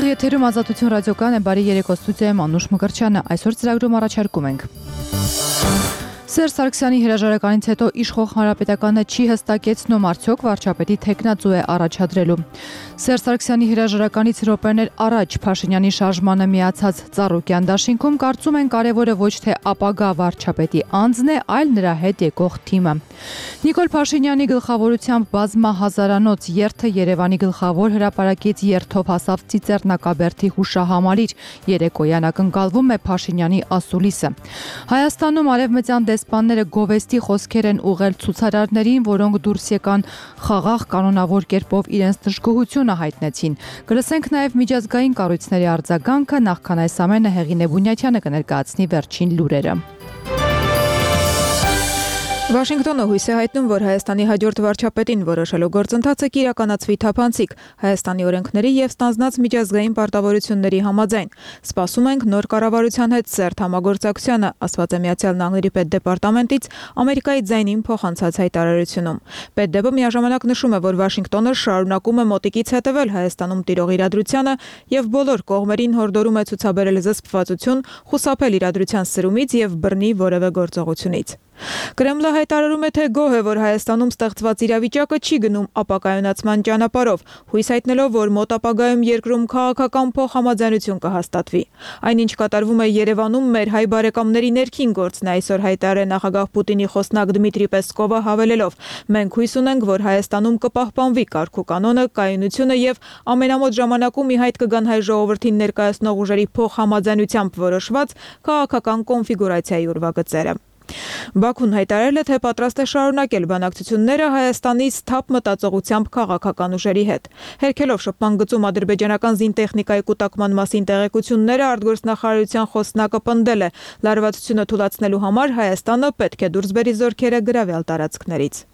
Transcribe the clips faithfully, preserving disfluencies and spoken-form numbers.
Եթերում Ազատություն ռադիոկայան է, բարի երեկո, ստուդիայում Անուշ Մկրտչյանը, այսօր ծրագրում առաջարկում ենք. Սերժ Սարգսյանի հրաժարականից հետո իշխող հանրապետականը չի հստակեցնում, արդյոք վարչապետի թեկնածու է առաջադրելու։ Սերժ Սարգսյանի հրաժարականից րոպեներ առաջ Փաշինյանի շարժմանը միացած Ծառուկյան դաշինքում կարծում են կարևորը ոչ թե ապագա վարչապետի անձն է, այլ նրա հետ եկող թիմը։ Նիկոլ Փաշինյանի գլխավորությամբ բազմահազարանոց երթը Երևանի գլխավոր հրապարակից երթով հասավ Ծիծեռնակաբերդի հուշահամալիր, երեկոյան ակնկալվում է Փաշինյանի ասուլիսը։ Հայաստանում արևմտյան դեսպանները գովեստի խոսքեր են ուղղել ցուցարարներին, որոնք դուրս եկան խաղաղ կանոնավոր կերպով իրենց դժգոհությունը հայտնեցին։ Կլսենք նաև միջազգային կառույցների արձագանքը, նախքան այս ամենը Հեղինե Բունյաթյանը կներկայացնի վերջին լուրերը։ Վաշինգտոնը հույս է հայտնում, որ Հայաստանի հաջորդ վարչապետին որոշելու գործընթացը կիրականացվի թափանցիկ Հայաստանի օրենքների և ստանձնած միջազգային պարտավորությունների համաձայն։ Սպասում ենք նոր կառավարության հետ սերտ համագործակցությանը, ասված է Միացյալ Նահանգների պետդեպարտամենտից Ամերիկայի ձայնին փոխանցած հայտարարությունում։ Պետդեպը միաժամանակ նշում է, որ Վաշինգտոնը շարունակում է մոտիկից հետևել Հայաստանում տիրող իրադրությանը և բոլոր կողմերին հորդորում է ցուցաբերել զսպվածություն, խուսափել իրադրության սրումից և բռնի որևէ գործողությունից։ Կրեմլը հայտարարում է, թե գոհ է, որ Հայաստանում ստեղծված իրավիճակը չի գնում ապակայունացման ճանապարհով, հույս հայտնելով, որ մոտ ապագայում երկրում քաղաքական փոխհամաձայնություն կհաստատվի։ Այնինչ կատարվում է Երևանում, մեր հայ բարեկամների ներքին գործն է, այսօր հայտարարել նախագահ Պուտինի խոսնակ Դմիտրի Պեսկովը հավելելով. մենք հույս ունենք, որ Հայաստանում կպահպանվի կարգ ու կանոնը, կայունությունը և ամենամոտ ժամանակում ի հայտ կգան հայ ժողովրդին ներկայացնող ուժերի փոխհամաձայնությամբ որոշված քաղաքական կոնֆիգուրացիայի ուրվագծերը։ Բաքուն հայտարարել է, թե պատրաստ է շարունակել բանակցությունները Հայաստանի սթափ մտածողությամբ քաղաքական ուժերի հետ։ Հերքելով շփման գծում ադրբեջանական զինտեխնիկայի կուտակման մասին տեղեկությունները, արտգործնախարարության խոսնակը պնդել է, լարվածությունը թուլացնելու համար Հայաստանը պետք է դուրս բերի զորքերը գրավյալ տարածքներից։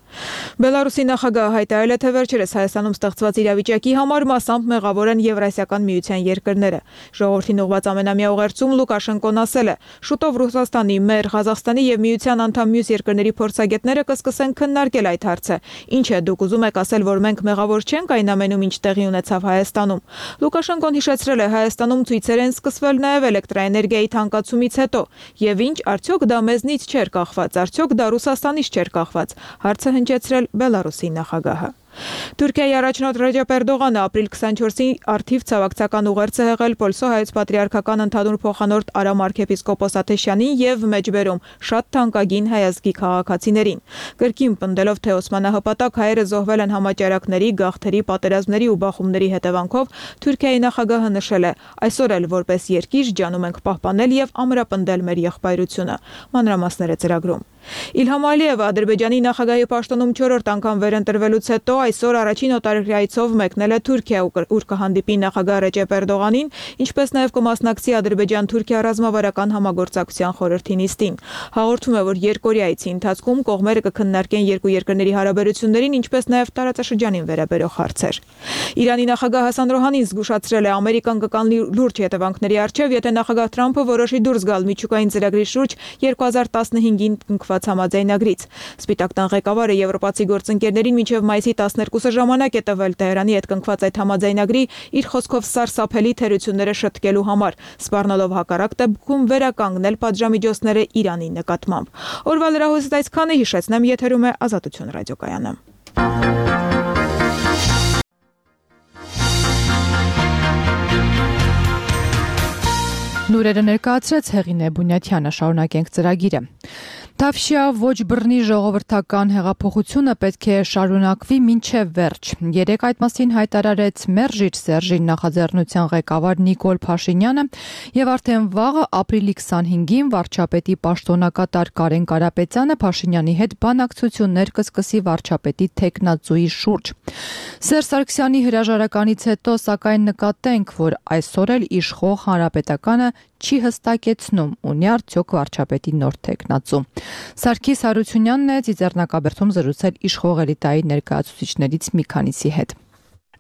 Բելարուսի նախագահը հայտարարել է, թե վերջերս Հայաստանում ստեղծված իրավիճակի համար մասամբ մեղավոր են Եվրասիական միության երկրները։ Ժողովրդին ուղղված ամենամյա ուղերձում Լուկաշենկոն ասել է. շուտով Ռուսաստանի, մեր, Ղազախստանի և միության անդամ մյուս երկրների փորձագետները կսկսեն քննարկել այդ հարցը։ Ինչ է, դուք ուզում եք ասել, որ մենք մեղավոր չենք այն ամենում, ինչ տեղի ունեցավ Հայաստանում։ Լուկաշենկոն հիշեցրել է, Հայաստանում ցույցեր են սկսվել նաև էլեկտրաէներգիայի թանկացումից հետո։ Եվ ինչ, արդյոք դա մեզնից չէր կախված, արդյոք դա Ռուսաստանից չէր կախված։ Հարցը հնչեցրել Բելարուսի նախագահը։ Թուրքիայի առաջնորդ Ռեջեփ Էրդողանը ապրիլ քսանչորսի առթիվ ցավակցական ուղերձ է հղել Պոլսո հայոց պատրիարքական ընդհանուր փոխանորդ Արամ arczepiskopos Աթեշյանին եւ մեջբերում շատ թանկագին հայազգի քաղաքացիներին։ Կրկին պնդելով, թե օսմանահպատակ հայերը զոհվել են համաճարակների, գաղթերի, պատերազմների ու բախումների հետևանքով, Թուրքիայի նախագահը նշել է. այսօր էլ որպես երկիր ջանում ենք պահպանել եւ ամրապնդել մեր եղբայրությունը։ Մանրամասները ծրագրում։ Իլհամ Ալիևը Ադրբեջանի նախագահի պաշտոնում չորրորդ անգամ վերընտրվելուց հետո այսօր առաջին օտարերկրայցով մեկնել է Թուրքիա, ուր կհանդիպի նախագահ Ռեջեփ Էրդողանին, ինչպես նաև կմասնակցի Ադրբեջան-Թուրքիա ռազմավարական համագործակցության խորհրդի նիստին։ Հաղորդում է, որ երկօրյա այցի ընթացքում կողմերը կքննարկեն երկու երկրների հարաբերություններին, ինչպես նաև տարածաշրջանին վերաբերող հարցեր։ Իրանի նախագահ Հասան Ռոհանին զգուշացրել է, Ամերիկան կկանգնի լուրջ հետևանքների առջև, եթե նախագահ Թրամփը որոշի դուրս գալ միջուկային ծրագրի շուրջ երկու հազար տասնհինգին կնքված համաձայնագրից։ Սպիտակ տան ղեկավարը եվրոպացի գործընկերներին մինչև մայիսի տասներկուսը ժամանակ է տվել Տեհրանի հետ կնքված այդ համաձայնագրի իր խոսքով սարսափելի թերությունները շտկելու համար, սպառնալով հակառակ դեպքում վերականգնել պատժամիջոցները Իրանի նկատմամբ։ Օրվա լրահոսից այսքանը, հիշեցնեմ, եթերում է Ազատություն ռադիոկայանը։ Լուրերը ներկայացրեց Հեղինե Բունյաթյանը, շարունակենք ծրագիրը։ Թավշյա ոչ բռնի ժողովրդական հեղափոխությունը պետք է շարունակվի մինչև վերջ։ Երեկ այդ մասին հայտարարեց Մերժիչ Սերժի նախաձեռնության ղեկավար Նիկոլ Փաշինյանը եւ արդեն վաղը ապրիլի քսանհինգին վարչապետի պաշտոնակատար Կարեն Կարապետյանը Փաշինյանի հետ բանակցություններ կսկսի վարչապետի թեկնածուի շուրջ։ Սերժ Սարգսյանի հրաժարականից հետո սակայն նկատենք, որ այսօր էլ իշխող հանրապետականը չի հստակեցնում, ունի արդյոք վարչապետի նոր թեկնածու։ Սարգիս Հարությունյանն է Ծիծեռնակաբերդում զրուցել իշխող էլիտայի ներկայացուցիչներից մի քանիսի հետ։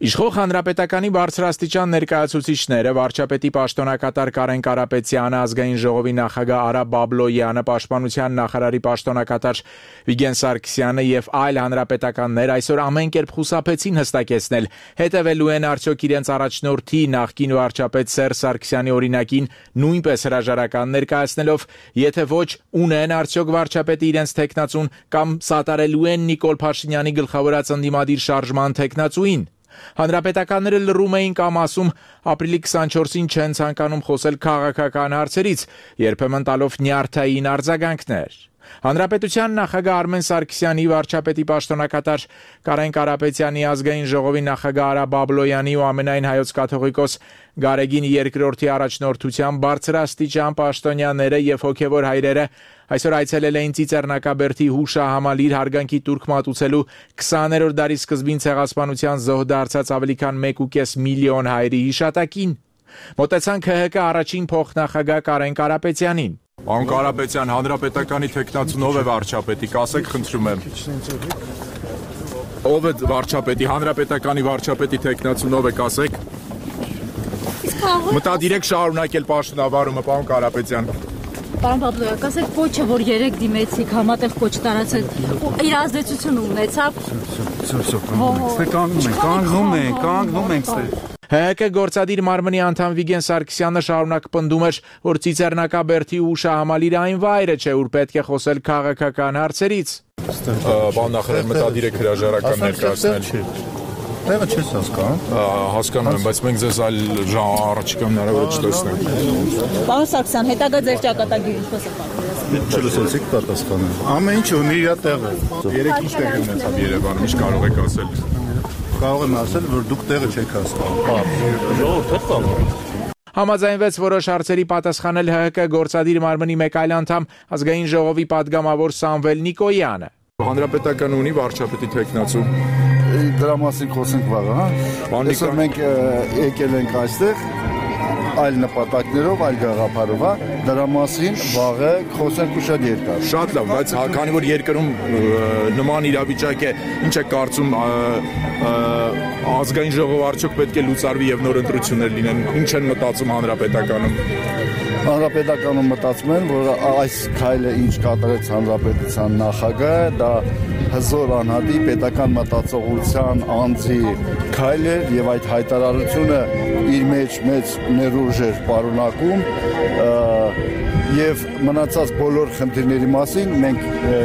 Իշխող հանրապետականի բարձրաստիճան ներկայացուցիչները վարչապետի պաշտոնակատար Կարեն Կարապետյանը, ազգային ժողովի նախագահ Արա Բաբլոյանը, պաշտպանության նախարարի պաշտոնակատար Վիգեն Սարգսյանը եւ այլ հանրապետականներ այսօր ամեն կերպ խուսափեցին հստակեցնել, հետևելու են արդյոք իրենց առաջնորդի նախկին վարչապետ Սերժ Սարգսյանի օրինակին նույնպես հրաժարական ներկայացնելով, եթե ոչ, ունեն արդյոք վարչապետի իրենց թեկնածուն կամ սատարելու են Նիկոլ Փաշինյանի գլխավորած ընդդիմադիր շարժման թեկնածուին։ Հանրապետականները լռում էին կամ ասում ապրիլի քսանչորսին չեն ցանկանում խոսել քաղաքական հարցերից, երբեմն տալով նյարդային արձագանքներ։ Հանրապետության նախագահ Արմեն Սարգսյանի, վարչապետի պաշտոնակատար Կարեն Կարապետյանի, ազգային ժողովի նախագահ Արա Բաբլոյանի ու ամենայն հայոց կաթողիկոս Գարեգին երկրորդի առաջնորդությամբ բարձրաստիճան պաշտոնյաները եւ հոգեվոր հայրերը այսօր այցելել էին Ծիծեռնակաբերդի հուշահամալիր հարգանքի տուրք մատուցելու քսաներորդ դարի սկզբին ցեղասպանության զոհ դարձած ավելի քան մեկ ու կես միլիոն հայերի հիշատակին։ Մոտեցան K H K առաջին փոխնախագահ Կարեն Կարապետյանին։ Պարոն Կարապետյան, հանրապետականի թեկնածուն ով է վարչապետի, կասեք խնդրում եմ։ Ով է վարչապետի, հանրապետականի վարչապետի թեկնածուն ով է, կասեք։ Մտադիրեք շարունակել պաշտոնավարումը, պարոն Կարապետյան։ Պարոն Բաբլոյան, կասեք կոչը, որ երեք դիմեցիք, համատեղ կոչ տարածեք, իր ազդեցությունը ունեցավ։ Կանգնում ենք, կանգնում ենք, կանգնում ենք ստեղ։ H H K գործադիր մարմնի անդամ Վիգեն Սարգսյանը շարունակ պնդում էր, որ Ծիծեռնակաբերդի հուշահամալիրը այն վայրը չէ, ուր պետք է խոսել քաղաքական հարցերից։ Պարոն նախարար, մտադիր եք հրաժարական ներկայացնել։ Տեղը չես հասկանում։ Հասկանում եմ, բայց մենք ձեզ այլ առաջիկա հնարավոր չտեսնենք։ Պարոն Սարգսյան, հետագա ձեր ճակատագիրը ինչպես է պատկերացնում։ Չլսեցիք պատասխանը։ Ամեն ինչ ունի իր տեղը։ Երեք ինչ տեղի ունեցավ Երևանում, ինչ կարող եք ասել։ Կարող եմ ասել, որ դուք տեղը չեք հասկանում։ Ժողովուրդ է կարող։ Համաձայնվեց որոշ հարցերի պատասխանել H H K գործադիր մարմնի մեկ այլ անդամ, ազգային ժողովի падգամավոր Սամվել Նիկոյանը։ Հանրապետականը ունի վարչապետի թեկնածու։ Դրա մասին խոսենք վաղը, հա։ Այսօր մենք եկել ենք այստեղ այլ նպատակներով, այլ գաղափարով, հա, դրա մասին վաղը խոսենք ու շատ երկար։ Շատ լավ, բայց քանի որ երկրում նման իրավիճակ է, ինչ է կարծում ազգային ժողովը արդյոք պետք է լուծարվի եւ նոր ընտրություններ լինեն, ինչ են մտածում հանրապետականում։ Հանրապետականում մտածում են, որ այս քայլը ինչ կատարեց հանրապետության նախագահը, դա հզոր անհատի պետական մտածողության անձի քայլ էր եւ այդ հայտարարությունը իր մեջ մեծ ներուժ էր պարունակում եւ մնացած բոլոր խնդիրների մասին մենք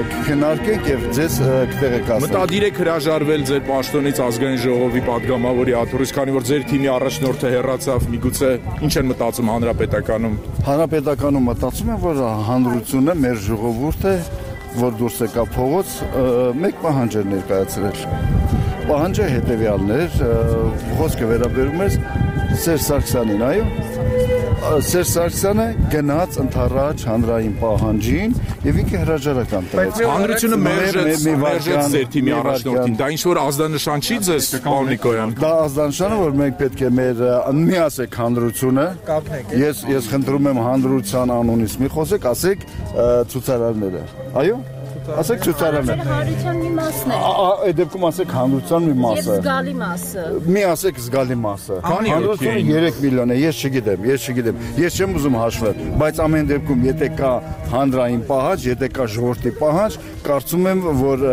կքննարկենք եւ ձեզ կտեղեկացնենք։ Մտադիր եք հրաժարվել ձեր պաշտոնից ազգային ժողովի падգամավորի աթոռից, քանի որ ձեր թիմի առաջնորդը հեռացավ, միգուցե ինչ են մտածում հանրապետականում։ Հանրապետականում մտածում են, որ հանրությունը մեր ժողովուրդը, որ դուրս եկա փողոց, մեկ պահանջ էր ներկայացրել։ Պահանջը հետևյալն էր, խոսքը վերաբերում էր Սերժ Սարգսյանին, այո։ Սերժ Սարգսյանը գնաց ընդառաջ հանրային պահանջին եւ ինքը հրաժարական տվեց։ Հանրությունը մերժեց մերժեց ձեր թիմի առաջնորդին։ Դա ինչ որ ազդանշան չի ձեզ, պարոն Նիկոյան։ Դա ազդանշանը, որ մենք պետք է մեր միասեք հանրությունը։ Ես ես խնդրում եմ հանրության անունից մի խոսեք, ասեք ցուցարարները։ Այո։ Ասեք ցուցարարները։ Հանրության մի մասն է։ Այդ դեպքում ասեք հանրության մի մասը։ Եվ զգալի մասը։ Մի ասեք զգալի մասը։ Հանրությունը երեք միլիոն է, ես չգիտեմ, ես չգիտեմ։ Ես չեմ ուզում հաշվել, բայց ամեն դեպքում եթե կա հանրային պահանջ, եթե կա ժողովրդի պահանջ, կարծում եմ, որ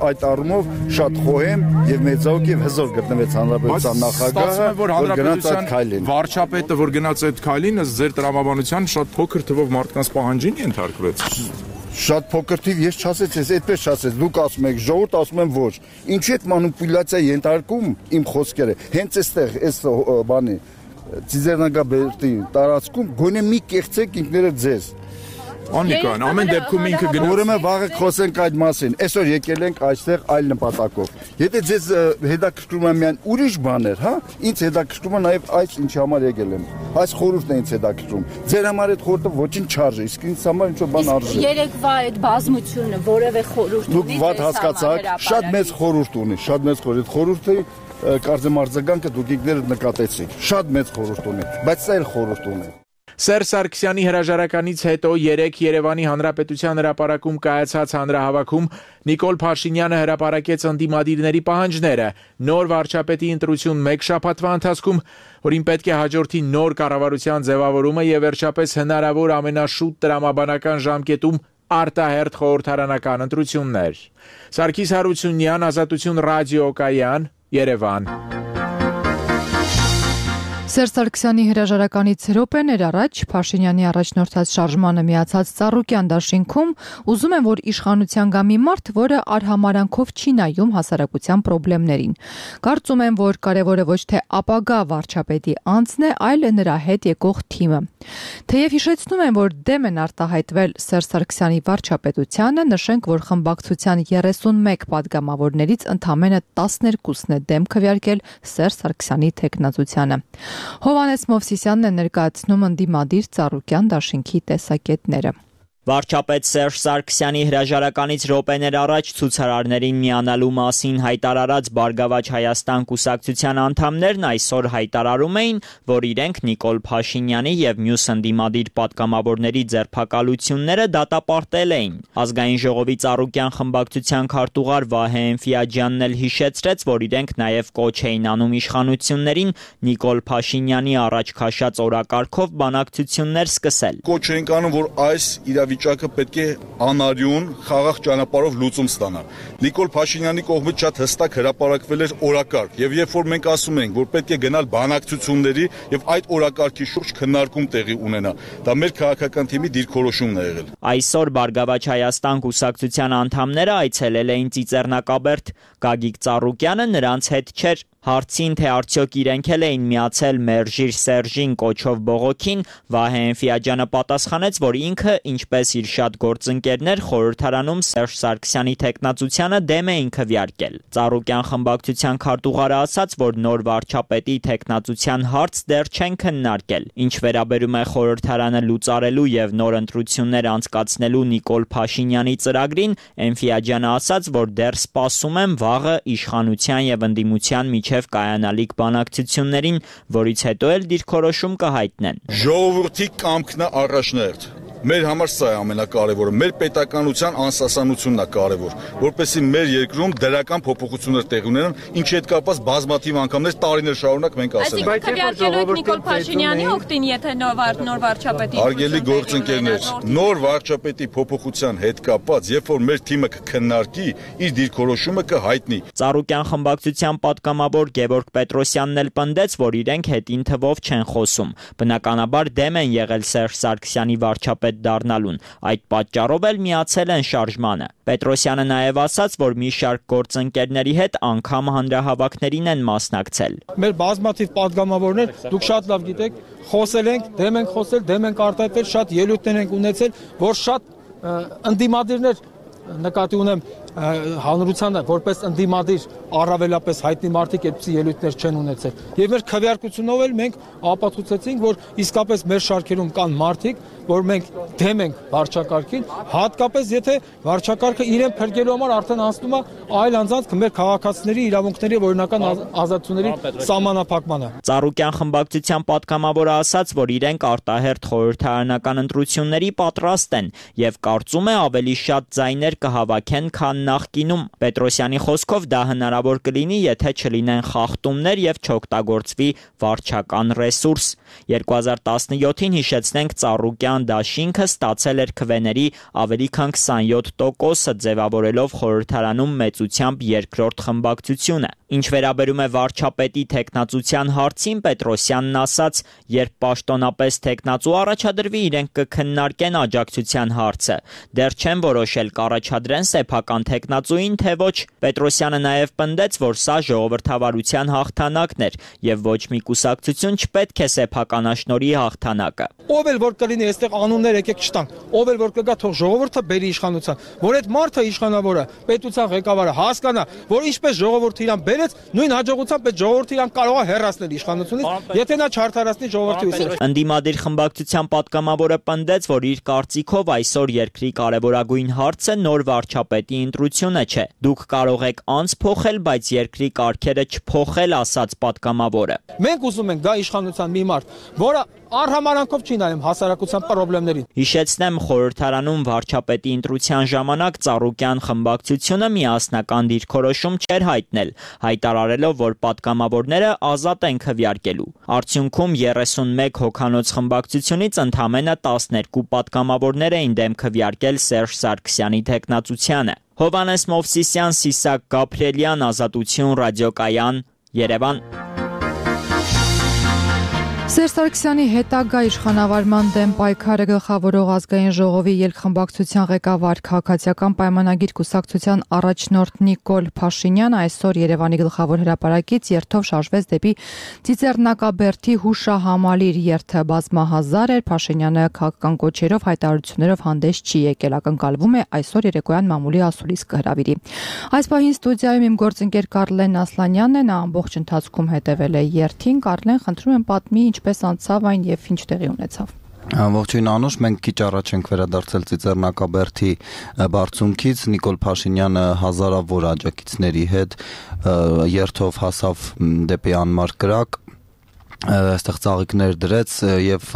այդ առումով շատ խոհեմ եւ մեծաուկ եւ հզոր գտնվեց հանրապետության նախագահը, որ գնաց այդ քայլին։ Վարչապետը, որ գնաց այդ քայլին, ըստ ձեր տրամաբանության շատ փոքր թվով մարդկանց պահանջին ենթարկվեց։ Շատ փոքր թիվ ես չասեցի, ես այդպես չասեց, դուք ասում եք, ժողովուրդ ասում եմ ոչ։ Ինչի՞ այդ մանիպուլյացիա ենթարկում իմ խոսքերը։ Հենց այստեղ, այս բանի Ծիծեռնակաբերդի տարածքում գոնե մի կեղծեք ինքներդ ձեզ։ Անիկան, ամեն դեպքում ինքը գնաց։ Ուրեմն վաղը խոսենք այդ մասին։ Այսօր եկել ենք այստեղ այլ նպատակով։ Եթե ձեզ հետաքրքրում է միայն ուրիշ բաներ, հա, ինձ հետաքրքրում է նաև այս ինչի համար եկել եմ։ Այս խորհուրդն է ինձ հետաքրքրում։ Ձեր համար այդ խորհուրդը ոչինչ չարժի, իսկ ինձ համար ինչ-որ բան արժի։ Երեկվա այդ բազմությունը որևէ խորհուրդ ունի։ Դուք վատ հասկացաք, շատ մեծ խորհուրդ ունի, շատ մեծ խորհուրդ։ Խորհուրդը կարծեմ արձագանքը դուք ինքներդ նկատեցիք։ Շատ մեծ խորհուրդ ունի, բայց սա էլ խորհուրդ ունի։ Սերժ Սարգսյանի հրաժարականից հետո երեկ Երևանի Հանրապետության հրապարակում կայացած հանրահավաքում Նիկոլ Փաշինյանը հրապարակեց ընդդիմադիրների պահանջները նոր վարչապետի ընտրություն մեկ շաբաթվա ընթացքում, որին պետք է հաջորդի նոր կառավարության ձևավորումը եւ վերջապես հնարավոր ամենաշուտ տրամաբանական ժամկետում արտահերթ խորհրդարանական ընտրություններ։ Սարգիս Հարությունյան, Ազատություն ռադիոկայան, Երևան։ Սերժ Սարգսյանի հրաժարականից րոպեներ առաջ Փաշինյանի առաջնորդած շարժմանը միացած Ծառուկյան դաշինքում ուզում են, որ իշխանության գա մի մարդ, որը արհամարանքով չի նայում հասարակության խնդիրներին։ Կարծում են, որ կարևորը ոչ թե ապագա վարչապետի անձն է, այլ նրա հետ եկող թիմը։ Թեև հիշեցնում են, որ դեմ են արտահայտվել Սերժ Սարգսյանի վարչապետությանը, նշենք, որ խմբակցության երեսունմեկ պատգամավորներից ընդամենը տասներկուսն է դեմ քվեարկել Սերժ Սարգսյանի թեկնածությանը։ Հովհաննես Մովսիսյանն է ներկայացնում ընդդիմադիր Ծառուկյան դաշինքի տեսակետները։ Վարչապետ Սերժ Սարգսյանի հրաժարականից րոպեներ առաջ ցուցարարներին միանալու մասին հայտարարած Բարգավաճ Հայաստան կուսակցության անդամներն այսօր հայտարարում էին, որ իրենք Նիկոլ Փաշինյանի եւ մյուս ընդդիմադիր պատգամավորների ձերբակալությունները դատապարտել էին։ Ազգային ժողովի Ծառուկյան խմբակցության քարտուղար Վահե Էնֆիաջյանն էլ հիշեցրեց, որ իրենք նաեւ կոչ էին անում իշխանություններին Նիկոլ Փաշինյանի առաջ քաշած օրակարգով բանակցություններ սկսել։ Կոչ ենք անում, որ այս իրավիճակը պետք է անարյուն խաղաղ ճանապարհով լուծում ստանա։ Նիկոլ Փաշինյանի կողմից շատ հստակ հրապարակվել էր օրակարգ, եւ երբ որ մենք ասում ենք, որ պետք է գնալ բանակցությունների եւ այդ օրակարգի շուրջ քննարկում տեղի ունենա, դա մեր քաղաքական թիմի դիրքորոշումն է եղել։ Այսօր Բարգավաճ Հայաստան կուսակցության անդամները այցելել էին Ծիծեռնակաբերդ, Գագիկ Ծառուկյանը նրանց հետ չէր։ Հարցին, թե արդյոք իրենք էլ էին միացել Մերժիր Սերժին կոչով բողոքին, Վահե Էնֆիաջյանը պատասխանեց, որ ինքը, ինչպես իր շատ գործընկերներ, խորհրդարանում Սերժ Սարգսյանի թեկնածությանը դեմ էին քվեարկել։ Ծառուկյան խմբակցության քարտուղարը ասաց, որ նոր վարչապետի թեկնածության հարց դեռ չեն քննարկել։ Ինչ վերաբերում է խորհրդարանը լուծարելու եւ նոր ընտրություններ անցկացնելու Նիկոլ Փաշինյանի ծրագրին, Էնֆիաջյանը ասաց, որ դեռ սպասում են վաղը իշխանության եւ ընդդիմության միջև կայանալիք բանակցություններին, որից հետո էլ դիրքորոշում կհայտնեն։ Ժողովրդի կամքն է առաջնահերթ։ Մեր համար սա է ամենակարևորը, մեր պետականության անսասանությունն է կարևոր, որպեսզի մեր երկրում դրական փոփոխություններ տեղի ունենան, ինչի հետ կապված բազմաթիվ անգամներ տարիներ շարունակ մենք ասել ենք։ Այսինքն քվեարկելու Նիկոլ Փաշինյանի օգտին, եթե նոր նոր վարչապետի Հարգելի գործընկերներ, նոր վարչապետի փոփոխության հետ կապված, երբ որ մեր թիմը կքննարկի, իր դիրքորոշումը կհայտնի։ Ծառուկյան խմբակցության պատգամավոր Գևորգ Պետրոսյանն էլ պնդեց, որ իրենք հետին թվով չեն խոսում։ Բնականաբար դեմ են եղել Սերժ Սարգսյանի վարչապետ դառնալուն, այդ պատճառով էլ միացել են շարժմանը։ Պետրոսյանը նաև ասաց, որ մի շարք գործընկերների հետ անգամ հանրահավաքներին են մասնակցել։ Մեր բազմաթիվ պատգամավորներ, դուք շատ լավ գիտեք, խոսել ենք, դեմ ենք խոսել, դեմ ենք արտահայտվել, շատ ելույթներ ենք ունեցել, որ շատ ընդդիմադիրներ նկատի ունեմ հանրությանը, որպես ընդդիմադիր առավելապես հայտնի մարդիկ այդպիսի ելույթներ չեն ունեցել։ Եվ մեր քվեարկությունով էլ մենք ապացուցեցինք, որ իսկապես մեր շարքերում կան մարդիկ, որ մենք դեմ ենք վարչակարգին, հատկապես եթե վարչակարգը իրեն փրկելու համար արդեն անցնում է այլ անձանց մեր քաղաքացիների իրավունքների օրինական ազատությունների սահմանափակմանը։ Ծառուկյան խմբակցության պատգամավորը ասաց, որ իրենք արտահերթ խորհրդարանական ընտրությունների պատրաստ են եւ կարծում է ավելի շատ ձայներ կհավաքեն, քան նախկինում։ Պետրոսյանի խոսքով դա հնարավոր կլինի, եթե չլինեն խախտումներ եւ չօգտագործվի վարչական ռեսուրս։ երկու հազար տասնյոթին հիշեցնենք Ծառուկյան դաշինքը ստացել էր քվեների ավելի քան քսանյոթ տոկոսը ձևավորելով խորհրդարանում մեծությամբ երկրորդ խմբակցությունը։ Ինչ վերաբերում է վարչապետի թեկնածության հարցին, Պետրոսյանն ասաց, երբ պաշտոնապես թեկնածու առաջադրվի, իրենք կքննարկեն աջակցության հարցը։ Դեռ չեն որոշել կառաջադրեն սեփական թեկնածուին, թե ոչ։ Պետրոսյանը նաև պնդեց, որ սա ժողովրդավարության հաղթանակն էր եւ ոչ մի կուսակցություն չպետք է սեփականաշնորհի հաղթանակը։ Ով էլ որ կլինի այստեղ անուններ եկեք չտանք, ով էլ որ կգա թող ժողովուրդը բերի իշխանության, որ այդ մարդը իշխանավորը, պետության ղեկավարը հասկանա, որ ինչպես ժողովուրդը իրան բերեց, նույն հաջողությամբ այդ ժողովուրդը իրան կարող է հեռացնել իշխանությունից, եթե նա չարդարացնի ժողովրդի ուսերը։ Ընդդիմադիր խմբակցության պատգամավորը պնդեց, որ իր կարծիքով այսօր երկրի կարևորագույն հարցը նոր վարչապետի ընտրությունը չէ։ Դուք կարող եք անց փոխել, բայց երկրի կարգերը չփոխել, ասաց պատգամավորը։ Մենք ուզում ենք գա իշխանության մի մարդ, որը արհամարանքով չի նայում հասարակության խնդիրներին։ Հիշեցնեմ, խորհրդարանում վարչապետի ընտրության ժամանակ Ծառուկյան խմբակցությունը միասնական դիրքորոշում չէր հայտնել, հայտարարելով, որ պատգամավորները ազատ են քվեարկելու։ Արդյունքում երեսունմեկ հոգանոց խմբակցությունից ընդամենը տասներկու պատգամավորներ էին դեմ քվեարկել Սերժ Սարգսյանի թեկնածությանը։ Հովհաննես Մովսիսյան, Սիսակ Գաբրիելյան, Ազատություն, Ռադիոկայան, Երևան։ Սերժ Սարգսյանի հետագա իշխանավարման դեմ պայքարը գլխավորող ազգային ժողովի ելքխմբակցության ղեկավար քաղաքացիական պայմանագիր կուսակցության առաջնորդ Նիկոլ Փաշինյանը այսօր Երևանի գլխավոր հրապարակից երթով շարժվեց դեպի Ծիծեռնակաբերդի հուշահամալիր երթը բազմահազար էր, Փաշինյանը քաղաքական կոչերով հայտարարություններով հանդես չի եկել, ակնկալվում է այսօր երեկոյան մամուլի ասուլիս կհրավիրի։ Այս պահին ստուդիայում իմ գործընկեր Կարլեն Ասլանյանն է, նա ամբողջ ընթացքում հետևել է երթին։ Կարլեն, խնդրում եմ պատմի ինչպես անցավ այն եւ ինչ տեղի ունեցավ։ Ողջույն Անուշ, մենք քիչ առաջ ենք վերադարձել Ծիծեռնակաբերդի բարձունքից, Նիկոլ Փաշինյանը հազարավոր աջակիցների հետ երթով հասավ դեպի անմար կրակ, այստեղ ծաղիկներ դրեց եւ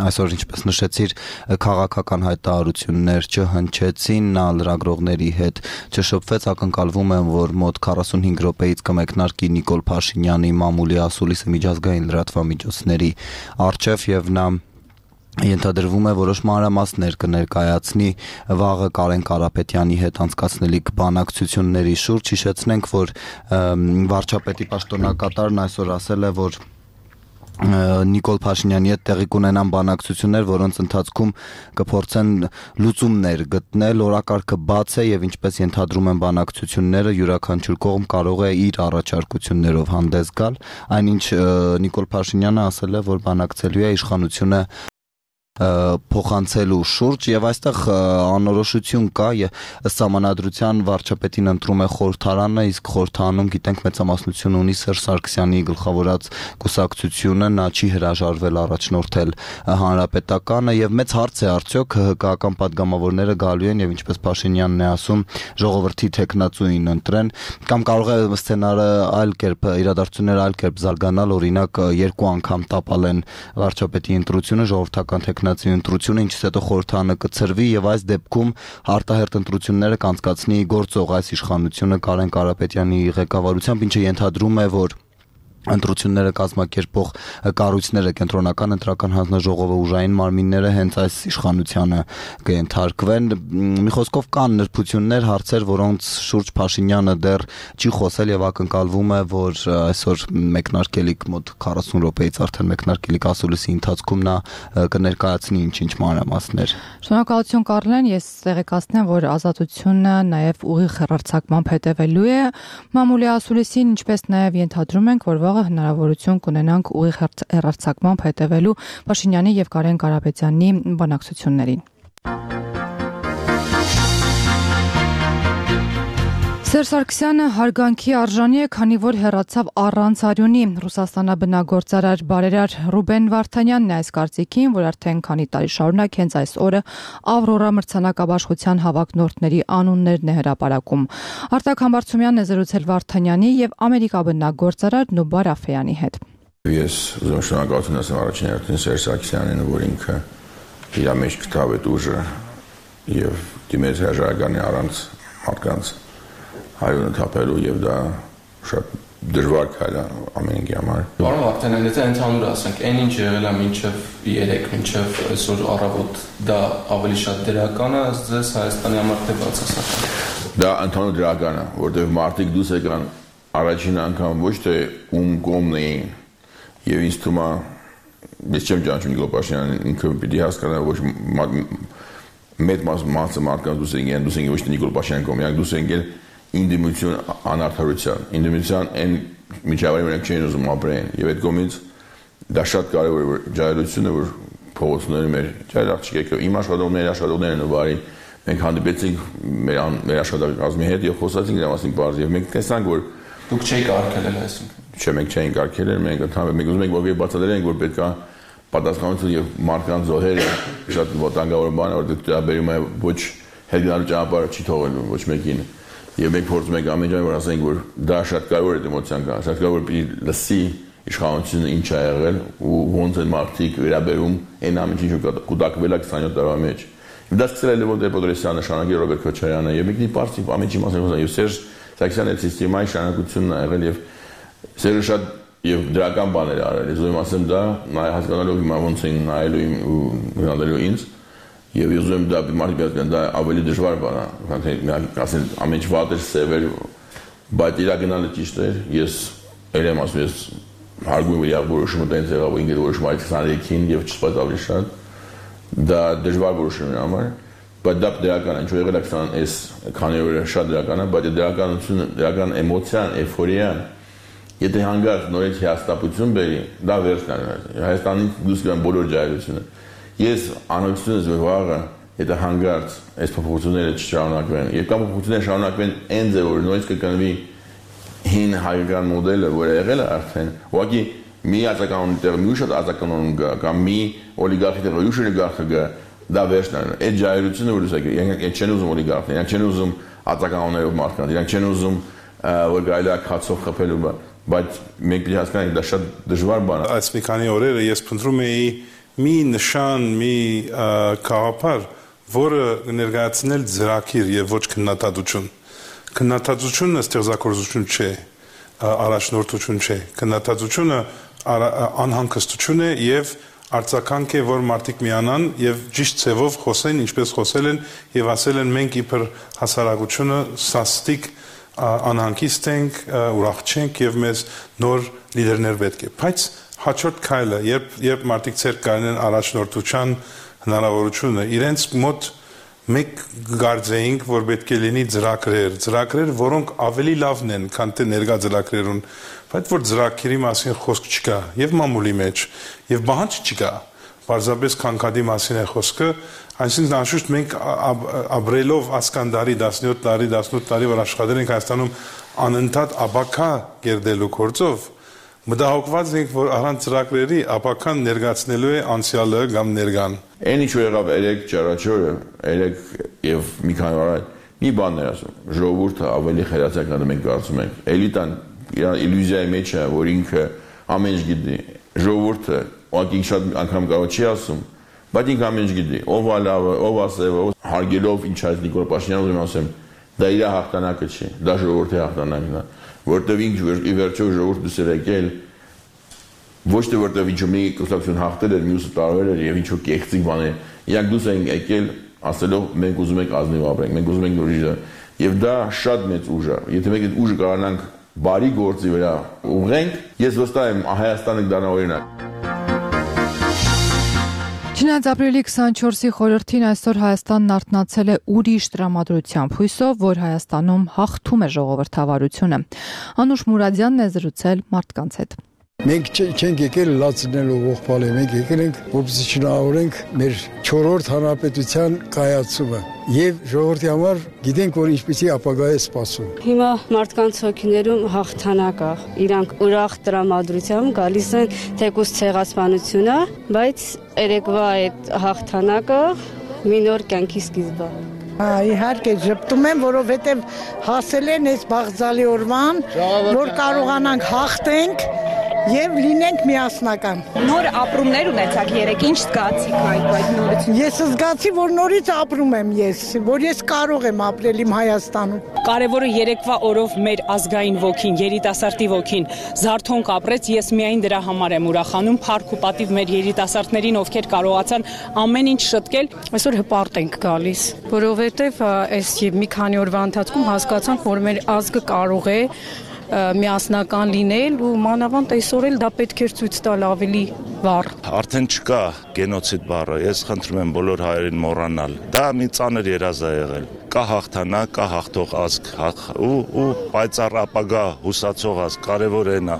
այսօր ինչպես նշեցիր քաղաքական հայտարարություններ չհնչեցին, նա լրագրողների հետ չշփվեց, ակնկալվում է որ մոտ քառասունհինգ րոպեից կմեկնարկի Նիկոլ Փաշինյանի մամուլի ասուլիսը միջազգային լրատվամիջոցների առջև եւ նա ենթադրվում է որոշ մանրամասներ կներկայացնի վաղը Կարեն Կարապետյանի հետ անցկացնելիք բանակցությունների շուրջ։ Հիշեցնենք, որ վարչապետի պաշտոնակատարն այսօր ասել է, որ Նիկոլ Փաշինյանի հետ տեղի կունենան բանակցություններ, որոնց ընթացքում կփորձեն լուծումներ գտնել, օրակարգը բաց է եւ ինչպես ենթադրում են բանակցությունները, յուրաքանչյուր կողմ կարող է իր առաջարկություններով հանդես գալ, այնինչ Նիկոլ Փաշինյանը ասել է, որ բանակցելու է իշխանությունը փոխանցելու շուրջ եւ այստեղ անորոշություն կա, ըստ համանadrության վարչապետին ընտրում է խորհրդարանը, իսկ խորհրդարանում գիտենք մեծամասնություն ունի Սերժ Սարգսյանի գլխավորած կուսակցությունը, նա չի հրաժարվել առաջնորդել հանրապետականը եւ մեծ հարց է արդյոք հկական падգամավորները գալու են եւ ինչպես Փաշինյանն է ասում, ժողովրդի թեկնածուին ընտրեն, կամ կարող է սցենարը այլ կերպ, իրադարձությունները այլ կերպ զարգանալ, օրինակ երկու անգամ տապալեն վարչապետի ընտրությունը, ժողովրդական թեկնածու ընտրությունը, ինչից հետո խորհրդարանը կցրվի եւ այս դեպքում արտահերթ ընտրությունները կանցկացնի գործող այս իշխանությունը Կարեն Կարապետյանի ղեկավարությամբ, ինչը ենթադրում է, որ ընտրությունները կազմակերպող կառույցները, կենտրոնական ընտրական հանձնաժողովը, ուժային մարմինները հենց այս իշխանությանը կենթարկվեն։ Մի խոսքով կան նրբություններ, հարցեր, որոնց շուրջ Փաշինյանը դեռ չի խոսել եւ ակնկալվում է, որ այսօր մեկնարկելիք մոտ քառասուն րոպեից արդեն մեկնարկելիք ասուլիսի ընթացքում նա կներկայացնի ինչ-ինչ մանրամասներ։ Շնորհակալություն Կարլեն, ես տեղեկացնեմ, որ Ազատությունը նաեւ ուղիղ հեռարձակմամբ հետևելու է մամուլի ասուլիսին, ինչպես նաեւ ենթադրում ենք, որ վաղը հնարավորություն կունենանք ուղիղ հեռարձակմամբ հետևելու Փաշինյանի եւ Կարեն Կարապետյանի բանակցություններին։ Սերժ Սարգսյանը հարգանքի արժանի է, քանի որ հեռացավ առանց արյունի։ Ռուսաստանաբնագործարար բարերար Ռուբեն Վարդանյանն է այս կարծիքին, որ արդեն քանի տարի շարունակ հենց այս օրը Ավրորա մրցանակաբաշխության հավակնորդների անուններն է հրապարակում։ Արտակ Համբարձումյանն է զրուցել Վարդանյանի եւ ամերիկաբնագործարար Նուբար Աֆեյանի հետ։ Ես ուզում շնորհակալություն ասեմ առաջին հերթին Սերժ Սարգսյանին, որ ինքը իր մեջ գտավ այդ ուժը եւ դիմեց հրաժարականի առանց մարդկանց հայրենը թափելու եւ դա շատ դժվար քայլ է ամեն ինքի համար։ Պարոն Վարդանյան, եթե ընդհանուր ասենք, այն ինչ եղել է մինչև երեք, մինչև այսօր առավոտ, դա ավելի շատ դրական է, ձեզ Հայաստանի համար թե բացասական։ Դա ընդհանուր դրական է, որտեղ մարդիկ դուրս եկան առաջին անգամ ոչ թե ում կողմն էին եւ ինձ թվում է, ես չեմ ճանաչում Նիկոլ Փաշինյանին, ինքը պիտի հասկանա, ոչ մեծ մասը մարդկանց դուրս եկան, դուրս եկան ոչ թե Նիկոլ Փաշինյանի կողմից, դուրս եկան ինդիմություն անարդարության, ինդիմության այն միջավայրի մենք չեն ուզում ապրեն եւ այդ կողմից դա շատ կարեւոր է, որ ջահելությունը, որ փողոցները մեր ջահել աղջիկեք, իմ աշխատողները, աշխատողներն ու բարի մենք հանդիպեցինք մեր մեր աշխատակազմի հետ եւ խոսացինք դրա մասին բարձր եւ մենք տեսանք, որ դուք չեք արգելել այսինքն։ Չէ, մենք չենք արգելել, մենք ընդհանրապես մենք ուզում ենք որ բացատրենք, որ պետքա պատասխանատվություն եւ մարդկանց զոհերը շատ վտանգավոր բան է, որ դա բերում է ոչ հետգնալու ճանապարհը չի թողելու ոչ մեկին։ Եվ մենք փորձում ենք ամեն ջան որ ասենք որ դա շատ կարևոր է դեմոցիան կա, շատ կարևոր պիտի լսի իշխանությունը ինչ ա եղել ու ոնց են մարդիկ վերաբերում այն ամենին, ինչ կուտակվել է քսանյոթ տարվա մեջ։ Դա սկսել է Լևոն Տեր-Պետրոսյանը, շարունակել Ռոբերտ Քոչարյանը եւ մի պարզի ամենի մասին խոսա եւ Սերժ Սարգսյանը այդ սիստեմայի շարունակությունն ա եղել եւ Սերժը շատ եւ դրական բաներ արել։ Ես ուզում ասեմ դա նայ հասկանալով հիմա ոնց են նայելու իմ ու հանդերու ինձ եւ ես ուզում դա մարդիկ հասկանան դա ավելի դժվար բան է, քան թե ասեն ամեն ինչ վատ է, սև է, բայց իրականում ճիշտ է։ Ես ելեմ ասում ես հարգում եմ որոշումը տենց եղավ ու ինքն որոշումը քսաներեքին եւ չսպասած ավելի շատ դա դժվար որոշում է համար, բայց դա դրական է, ինչ եղել է քսանես քանի օրը շատ դրական է, բայց դրականությունը, դրական էմոցիան, էйֆորիան, եթե հանգած նորից հիասթափություն բերի, դա վերջն է։ Հայաստանի դուրս գան բոլոր ջահելությունը։ Ես անհոգություն եմ վաղը, եթե հանգած այս փոփոխությունները չշարունակվեն, եւ կամ փոփոխությունները շարունակվեն այն ձևով, նորից կկնվի հին հայկական մոդելը, որը եղել է արդեն, ուղղակի մի ածականոն տեղ մի շատ ածականոն գա կամ մի օլիգարխի տեղ յուշ օլիգարխը գա դա վերջն է այդ ջահելությունը որ ասեք իրենք չեն ուզում օլիգարխներ իրենք չեն ուզում ածականոններով մարդկանց իրենք չեն ուզում որ գայլա քացով խփելու բայց մենք պետք է հասկանանք դա շատ դժվար բան է այս մի քանի օրերը ես փնտրում էի մի նշան մի գաղափար որը ներկայացնել ծրագիր եւ ոչ քննադատություն քննադատությունը ստեղծագործություն չէ առաջնորդություն չէ քննադատությունը անհանգստություն է եւ արձագանք է որ մարդիկ միանան եւ ճիշտ ձևով խոսեն ինչպես խոսել են եւ ասել են մենք իբր հասարակությունը սաստիկ անհանգիստ ենք ուրախ չենք եւ մեզ նոր լիդերներ պետք է բայց հաջորդ քայլը երբ երբ մարդիկ ցեր կանեն առաջնորդության հնարավորությունը իրենց մոտ մենք գարձեինք որ պետք է լինի ծրագրեր ծրագրեր որոնք ավելի լավն են քան թե ներկա ծրագրերուն բայց որ ծրագրերի մասին խոսք չկա եւ մամուլի մեջ եւ բանջ չկա պարզապես քանքադի մասին է խոսքը այսինքն անշուշտ մենք ապրելով ասկանդարի տասնյոթ տարի տասնութ տարի որ աշխատել ենք Հայաստանում անընդհատ աբակա կերդելու գործով մտահոգված ենք որ առանց ծրագրերի աբական ներկայացնելու է անցյալը կամ ներկան Այն ինչ եղավ երեք ճարաչորը, երեք եւ մի քանի օր մի բան էր ասում։ Ժողովուրդը ավելի խելացակ է մենք կարծում ենք։ Էլիտան իր իլյուզիայի մեջ է, որ ինքը ամեն ինչ գիտի։ Ժողովուրդը ուղղակի շատ անգամ կարող չի ասում, բայց ինքը ամեն ինչ գիտի։ Ով է լավը, ով է սևը, հարգելով ինչ այս Նիկոլ Փաշինյանը ուզում ասեմ, դա իր հաղթանակը չի, դա ժողովրդի հաղթանակն է, որտեղ ինքը ի վերջո ժողովուրդը դուս էր եկել ոչ թե որտեղ ինչ մի կուսակցություն հաղթել էր, մյուսը տարվել էր եւ ինչ որ կեղծիք բաներ։ Իրանք դուս են եկել ասելով մենք ուզում ենք ազնիվ ապրենք, մենք ուզում ենք նորից եւ դա շատ մեծ ուժ է։ Եթե մենք այդ ուժը կարողանանք բարի գործի վրա ուղղենք, ես վստահ եմ Հայաստանը կդառնա օրինակ։ Չնայած ապրիլի քսանչորսի խորհրդին այսօր Հայաստանն արթնացել է ուրիշ տրամադրությամբ, հույսով, որ Հայաստանում հաղթում է ժողովրդավարությունը։ Անուշ Մուրադյանն է զրուցել մարդկանց հետ։ Մենք չենք եկել լացնելու ողբալը, մենք եկել ենք որպեսզի շնորհավորենք մեր չորրորդ հանրապետության կայացումը եւ ժողովրդի համար գիտենք որ ինչպեսի ապագա է սպասում։ Հիմա մարդկանց հոգիներում հաղթանակ է, իրանք ուրախ տրամադրությամբ գալիս են թեկուզ ցեղասպանությունը, բայց երեկվա այդ հաղթանակը մի նոր կյանքի սկիզբը։ Իհարկե ժպտում եմ, որովհետեւ հասել են այս բաղձալի օրվան, որ կարողանանք հաղթենք Եվ լինենք միասնական։ Նոր ապրումներ ունեցաք երեք, ինչ զգացիք այդ այդ նորից։ Ես զգացի, որ նորից ապրում եմ ես, որ ես կարող եմ ապրել իմ Հայաստանում։ Կարևորը երեկվա օրով մեր ազգային ոգին, երիտասարդի ոգին զարթոնք ապրեց, ես միայն դրա համար եմ ուրախանում, փառք ու պատիվ մեր երիտասարդներին, ովքեր կարողացան ամեն ինչ շտկել, այսօր հպարտ ենք գալիս, որովհետև այս մի քանի օրվա ընթացքում հասկացանք, որ մեր ազգը կարող է միասնական լինել ու մանավանդ այսօր էլ դա պետք է ցույց տալ ավելի վառ։ Արդեն չկա գենոցիդ բառը, ես խնդրում եմ բոլոր հայերին մոռանալ։ Դա մի ծանր երազ է եղել։ Կա հաղթանակ, կա հաղթող ազգ, ու ու պայծառ ապագա հուսացող ազգ, կարևոր էն է։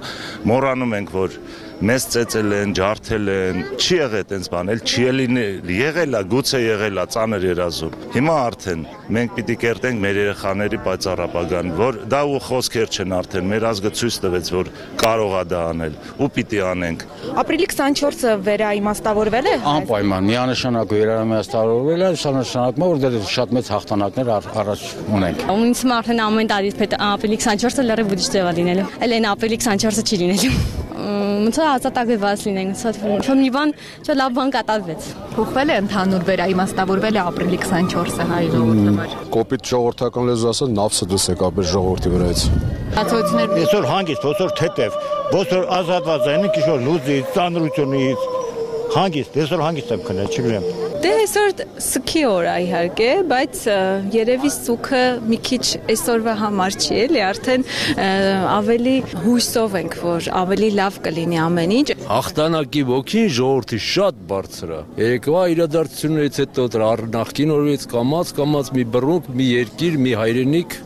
Մոռանում ենք, որ մեզ ծեծել են, ջարդել են, չի եղել այդպես բան, էլ չի ելնել, եղել է, գուցե եղել է ծանր երազում։ Հիմա արդեն մենք պիտի կերտենք մեր երեխաների պայծառ ապագան, որ դա ու խոսքեր չեն արդեն, մեր ազգը ցույց տվեց, որ կարող է դա անել, ու պիտի անենք։ Ապրիլի քսանչորսը վերաիմաստավորվել է։ Անպայման, միանշանակ վերաիմաստավորվել է, սա նշանակում է, որ դեռ շատ մեծ հաղթանակներ առաջ ունենք։ Ինձ արդեն ամեն տարի ապրիլի քսանչորսը լրիվ ուրիշ ձև է լինելու։ Էլ այն ապրիլի քսանչորսը չի լինելու։ ոնց ազատագրված լինենք, ոնց մի բան, չէ լավ բան կատարվեց։ Փոխվել է ընդհանուր վերաիմաստավորվել է ապրիլի քսանչորսը հայ ժողովրդի համար։ Կոպիտ ժողովրդական լեզու ասած նավսը դուրս եկավ այս ժողովրդի վրայից։ Հացոցներ այսօր հանգիստ, ոսոր թեթև, ոսոր ազատված են, քիշոր լուծից, ծանրությունից, հանգիստ, այսօր հանգիստ եմ քնել, չգիտեմ։ Դե այսօր սկի օր է իհարկե, բայց երևի սուքը մի քիչ այսօրվա համար չի, էլի, արդեն ավելի հույսով ենք, որ ավելի լավ կլինի ամեն ինչ։ Հաղթանակի ոգին ժողովրդի շատ բարձր է։ Երեկվա իրադարձություններից հետո նախկին օրից կամած կամած մի բռունկ, մի երկիր, մի հայրենիք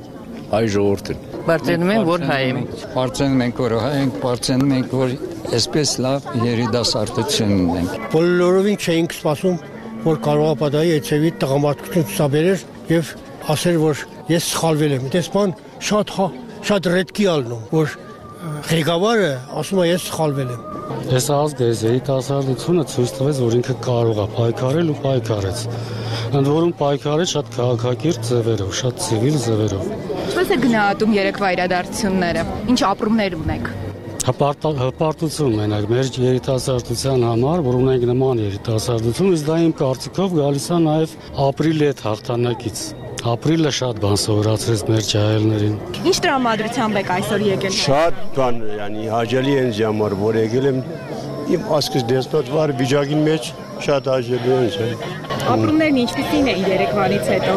հայ ժողովրդին։ Բարձրանում ենք, որ հայ ենք։ Բարձրանում ենք, որ հայ ենք, բարձրանում ենք, որ այսպես լավ երիտասարդություն ունենք։ Բոլորովին չէինք սպասում, որ կարող է պատահի այցեւի տղամարդկություն ցուցաբերել եւ ասել, որ ես սխալվել եմ։ Դեսպան շատ շատ ռեդկի ալնում, որ ղեկավարը ասում է ես սխալվել եմ։ Այս ազգը, այս երիտասարդությունը ցույց տվեց, որ ինքը կարող է պայքարել ու պայքարեց։ Ընդ որում պայքարեց շատ քաղաքակիրթ ձևերով, շատ ցիվիլ ձևերով։ Ինչպես է գնահատում երեկվա իրադարձությունները։ Ինչ ապրումներ ունեք։ Հպարտություն մենակ մեր երիտասարդության համար, որ ունենք նման երիտասարդություն, իսկ դա իմ կարծիքով գալիս է նաև ապրիլի հետ հաղթանակից։ Ապրիլը շատ բան սովորացրեց մեր ջահելներին։ Ինչ տրամադրությամբ եք այսօր եկել։ Շատ բան, yani հաջելի են ժամար, որ եկել եմ իմ ասկս դեսպատվար վիճակին մեջ շատ հաջելի են չէ։ Ապրումներն ինչպիսին էին երեկվանից հետո։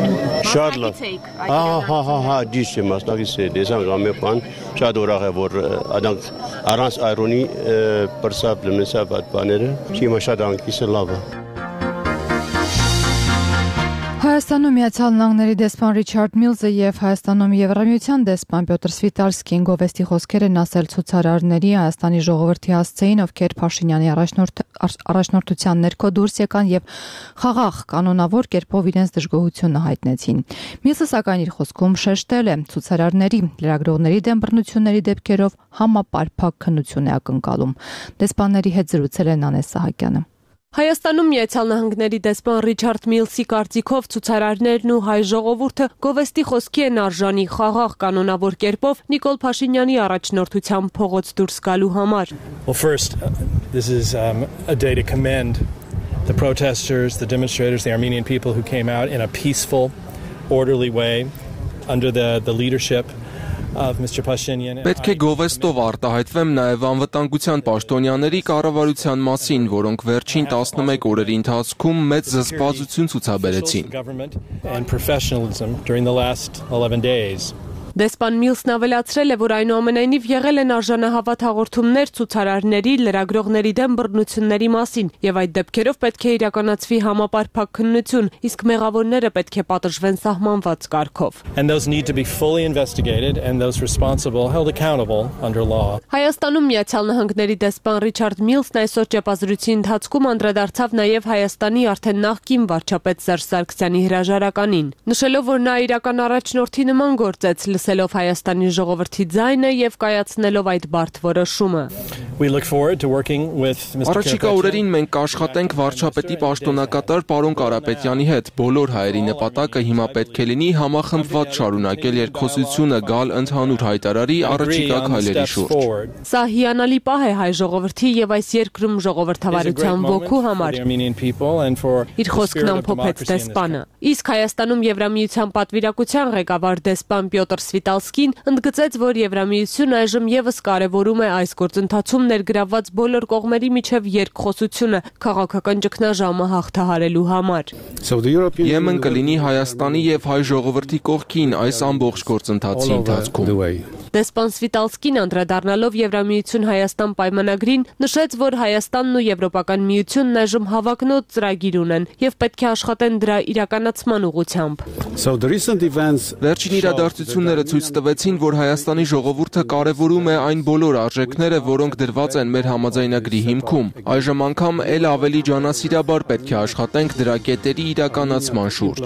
Շատ լավ։ Ահա, հա, հա, հա, դիշ է մասնակից է, դեսան գամե բան, շատ ուրախ է, որ արանք առանց այրոնի պրսապ լմեսապ այդ բաները, չիմա շատ անկիսը լավ է։ Հայաստանում Միացյալ Նահանգների դեսպան Ռիչարդ Միլզը եւ Հայաստանում Եվրամիության դեսպան Պյոտր Սվիտալսկին գովեստի խոսքեր են ասել ցուցարարների Հայաստանի ժողովրդի հասցեին, ովքեր Փաշինյանի առաջնորդության ներքո դուրս եկան եւ խաղաղ կանոնավոր կերպով իրենց դժգոհությունը հայտնեցին։ Միլզը սակայն իր խոսքում շեշտել է ցուցարարների, լրագրողների դեմ բռնությունների դեպքերով համապարփակ քննություն է ակնկալում։ Դեսպանների հետ զրուցել է Նանե Սահակյանը։ Հայաստանում Միացյալ Նահանգների դեսպան Ռիչարդ Միլսի կարծիքով ցուցարարներն ու հայ ժողովուրդը գովեստի խոսքի են արժանի խաղաղ կանոնավոր կերպով Նիկոլ Փաշինյանի առաջնորդությամբ փողոց դուրս գալու համար։ Well, first, this is um, a day to commend the protesters, the demonstrators, the Armenian people who came out in a peaceful, orderly way under the the leadership Պետք է գովեստով արտահայտվեմ նաև անվտանգության պաշտոնյաների կառավարության մասին, որոնք վերջին տասնմեկ օրերի ընթացքում մեծ զսպվածություն ցուցաբերեցին։ Դեսպան Միլսն ավելացրել է, որ այնուամենայնիվ եղել են արժանահավատ հաղորդումներ ցուցարարների, լրագրողների դեմ բռնությունների մասին, եւ այդ դեպքերով պետք է իրականացվի համապարփակ քննություն, իսկ մեղավորները պետք է պատժվեն սահմանված կարգով։ Հայաստանում Միացյալ Նահանգների դեսպան Ռիչարդ Միլսն այսօր ճեպազրույցի ընթացքում անդրադարձավ նաև Հայաստանի արդեն նախկին վարչապետ Սերժ Սարգսյանի հրաժարականին, նշելով, որ նա իրական առաջնորդի նման գործեց, լսելով Հայաստանի ժողովրդի ձայնը եւ կայացնելով այդ բարդ որոշումը։ Առաջիկա օրերին մենք կաշխատենք վարչապետի պաշտոնակատար պարոն Կարապետյանի հետ։ Բոլոր հայերի նպատակը հիմա պետք է լինի համախմբված շարունակել երկխոսությունը, գալ ընդհանուր հայտարարի առաջիկա քայլերի շուրջ։ Սա հիանալի պահ է հայ ժողովրդի եւ այս երկրում ժողովրդավարության ոգու համար։ Իր խոսքն ամփոփեց դեսպանը։ Իսկ Հայաստանում Եվրամիության պատվիրակության ղեկավար դեսպան Պյոտր Սվիտալսկին ընդգծեց, որ Եվրամիությունը այժմ եւս կարևորում է այս գործընթացում ներգրավված բոլոր կողմերի միջև երկխոսությունը քաղաքական ճգնաժամը հաղթահարելու համար։ Եմեն կլինի Հայաստանի եւ հայ ժողովրդի կողքին այս ամբողջ գործընթացի ընթացքում։ Դեսպան Սվիտալսկին անդրադառնալով Եվրամիություն Հայաստան պայմանագրին նշեց, որ Հայաստանն ու Եվրոպական միությունն այժմ հավակնոտ ծրագիր ունեն եւ պետք է աշխատեն դրա իրականացման ուղղությամբ։ Վերջին իրադարձությունները ցույց տվեցին, որ Հայաստանի ժողովուրդը կարևորում է այն բոլոր արժեքները, որոնք դրված են մեր համաձայնագրի հիմքում։ Այժմ անգամ ել ավելի ջանասիրաբար պետք է աշխատենք դրա կետերի իրականացման շուրջ։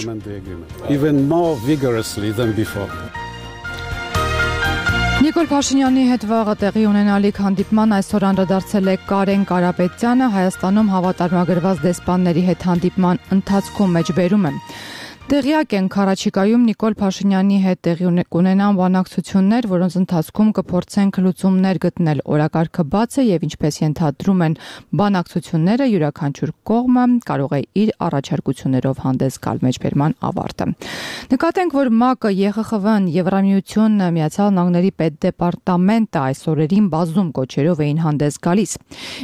Նիկոլ Փաշինյանի հետ վաղը տեղի ունենալիք հանդիպման այսօր անդրադարձել է Կարեն Կարապետյանը, Հայաստանում հավատարմագրված դեսպանների հետ հանդիպման ընթացքում մեջբերում է։ Տեղյակ են Քարաչիկայում Նիկոլ Փաշինյանի հետ տեղի կունենան բանակցություններ, որոնց ընթացքում կփորձենք լուծումներ գտնել։ Օրակարգը բաց է եւ ինչպես ենթադրում են բանակցությունները, յուրաքանչյուր կողմը կարող է իր առաջարկություններով հանդես գալ մեջբերման ավարտը։ Նկատենք, որ ՄԱԿ-ը, ԵԽԽՎ-ն, Եվրամիությունն, Միացյալ Նահանգների պետդեպարտամենտը այս օրերին բազում կոչերով էին հանդես գալիս։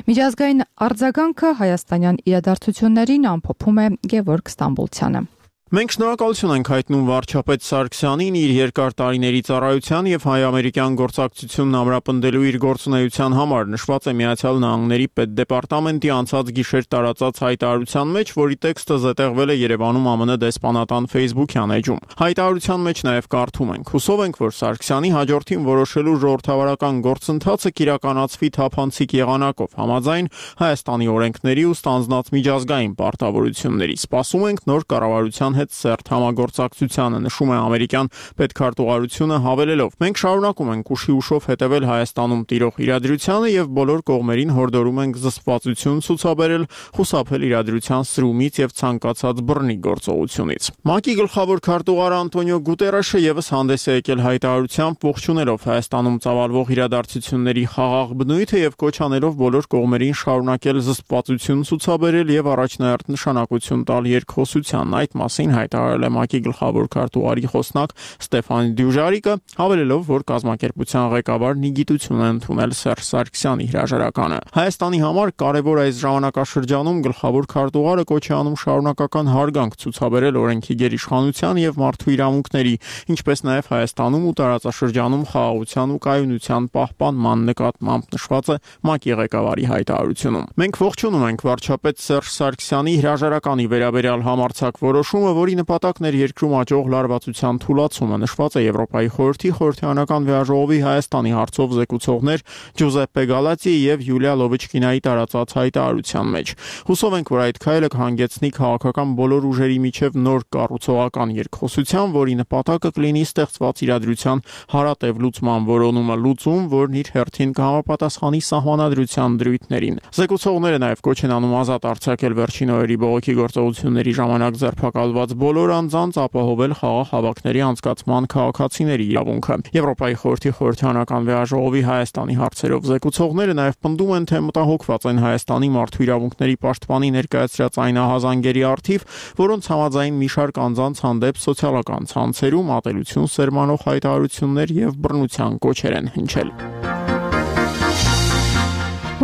Միջազգային արձագանքը հայաստանյան իրադարձություններին ամփոփում է Գևորգ Ստամբոլցյանը։ Մենք շնորհակալություն ենք հայտնում վարչապետ Սարգսյանին իր երկար տարիների ծառայության եւ հայ-ամերիկյան գործակցությունն ամրապնդելու իր գործունեության համար, նշված է Միացյալ Նահանգների պետդեպարտամենտի անցած գիշեր տարածած հայտարարության մեջ, որի տեքստը զետեղվել է Երևանում ԱՄՆ դեսպանատան Facebook-յան էջում։ Հայտարարության մեջ նաեւ կարդում ենք. «Հուսով ենք, որ Սարգսյանի հաջորդին որոշելու ժողովրդավարական գործընթացը կիրականացվի թափանցիկ եղանակով, համաձայն Հայաստանի օրենքների ու ստանձնած միջազգային պարտավորությունների։ Սպասում ենք նոր կառավարության հետ սերտ համագործակցությանը», նշում է ամերիկյան պետքարտուղարությունը հավելելով. «Մենք շարունակում ենք ուշի ուշով հետևել Հայաստանում տիրող իրադրությանը եւ բոլոր կողմերին հորդորում ենք զսպվածություն ցուցաբերել, խուսափել իրադրության սրումից եւ ցանկացած բռնի գործողությունից»։ ՄԱԿ-ի գլխավոր քարտուղար Անտոնիո Գուտերեշը եւս հանդես է եկել հայտարարությամբ, ողջունելով Հայաստանում ծավալվող իրադարձությունների խաղաղ բնույթը եւ կոչ անելով բոլոր կողմերին շարունակել զսպվածություն ցուցաբերել եւ առաջնահերթ նշանակություն տալ երկխոսության։ Այդ մասին հայտարարել է ՄԱԿ-ի գլխավոր քարտուղարի խոսնակ Ստեփան Դյուժարիկը, հավելելով, որ կազմակերպության ղեկավարն ի գիտություն է ընդունել Սերժ Սարգսյանի հրաժարականը։ Հայաստանի համար կարևոր այս ժամանակաշրջանում գլխավոր քարտուղարը կոչ է անում շարունակական հարգանք ցուցաբերել օրենքի գերիշխանության եւ մարդու իրավունքների, ինչպես նաեւ Հայաստանում ու տարածաշրջանում խաղաղության ու կայունության պահպանման նկատմամբ, նշված է ՄԱԿ-ի ղեկավարի հայտարարությունում։ Մենք ողջունում ենք վարչապետ Սերժ Սարգսյանի հրաժարականի վերաբերյալ համարձակ որոշումը, որի նպատակն էր երկրում աճող լարվածության թուլացումը, նշված է Եվրոպայի խորհրդի խորհրդարանական վեաժողովի Հայաստանի հարցով զեկուցողներ Ջուզեպպե Գալատիի եւ Յուլիա Լովիչկինայի տարածած հայտարարության մեջ։ Հուսով ենք, որ այդ քայլը կհանգեցնի քաղաքական բոլոր ուժերի միջև նոր կառուցողական երկխոսության, որի նպատակը կլինի ստեղծված իրադրության հարատև լուծման որոնումը, լուծում, որն իր հերթին կհամապատասխանի սահմանադրության դրույթներին։ Զեկուցողները նաեւ կոչ են անում ազատ արձակել վերջին օրերի բողոքի գործողությունների ժամանակ ձերբակալված բոլոր անձանց, ապահովել խաղաղ հավաքների անցկացման քաղաքացիների իրավունքը։ Եվրոպայի խորհրդի խորհրդարանական վեաժողովի Հայաստանի հարցերով զեկուցողները նաև պնդում են, թե մտահոգված են Հայաստանի մարդու իրավունքների պաշտպանի ներկայացրած այն ահազանգերի առթիվ, որոնց համաձայն մի շարք անձանց հանդեպ սոցիալական ցանցերում ատելություն սերմանող հայտարարություններ եւ բռնության կոչեր են հնչել։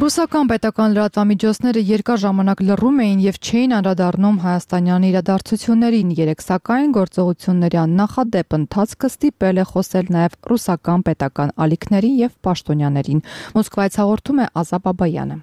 Ռուսական պետական լրատվամիջոցները երկար ժամանակ լռում էին եւ չէին անդրադառնում հայաստանյան իրադարձություններին։ Երեք սակայն գործողությունների աննախադեպ ընթացքը ստիպել է խոսել նաեւ ռուսական պետական ալիքներին եւ պաշտոնյաներին։ Մոսկվայից հաղորդում է Ազա Բաբայանը։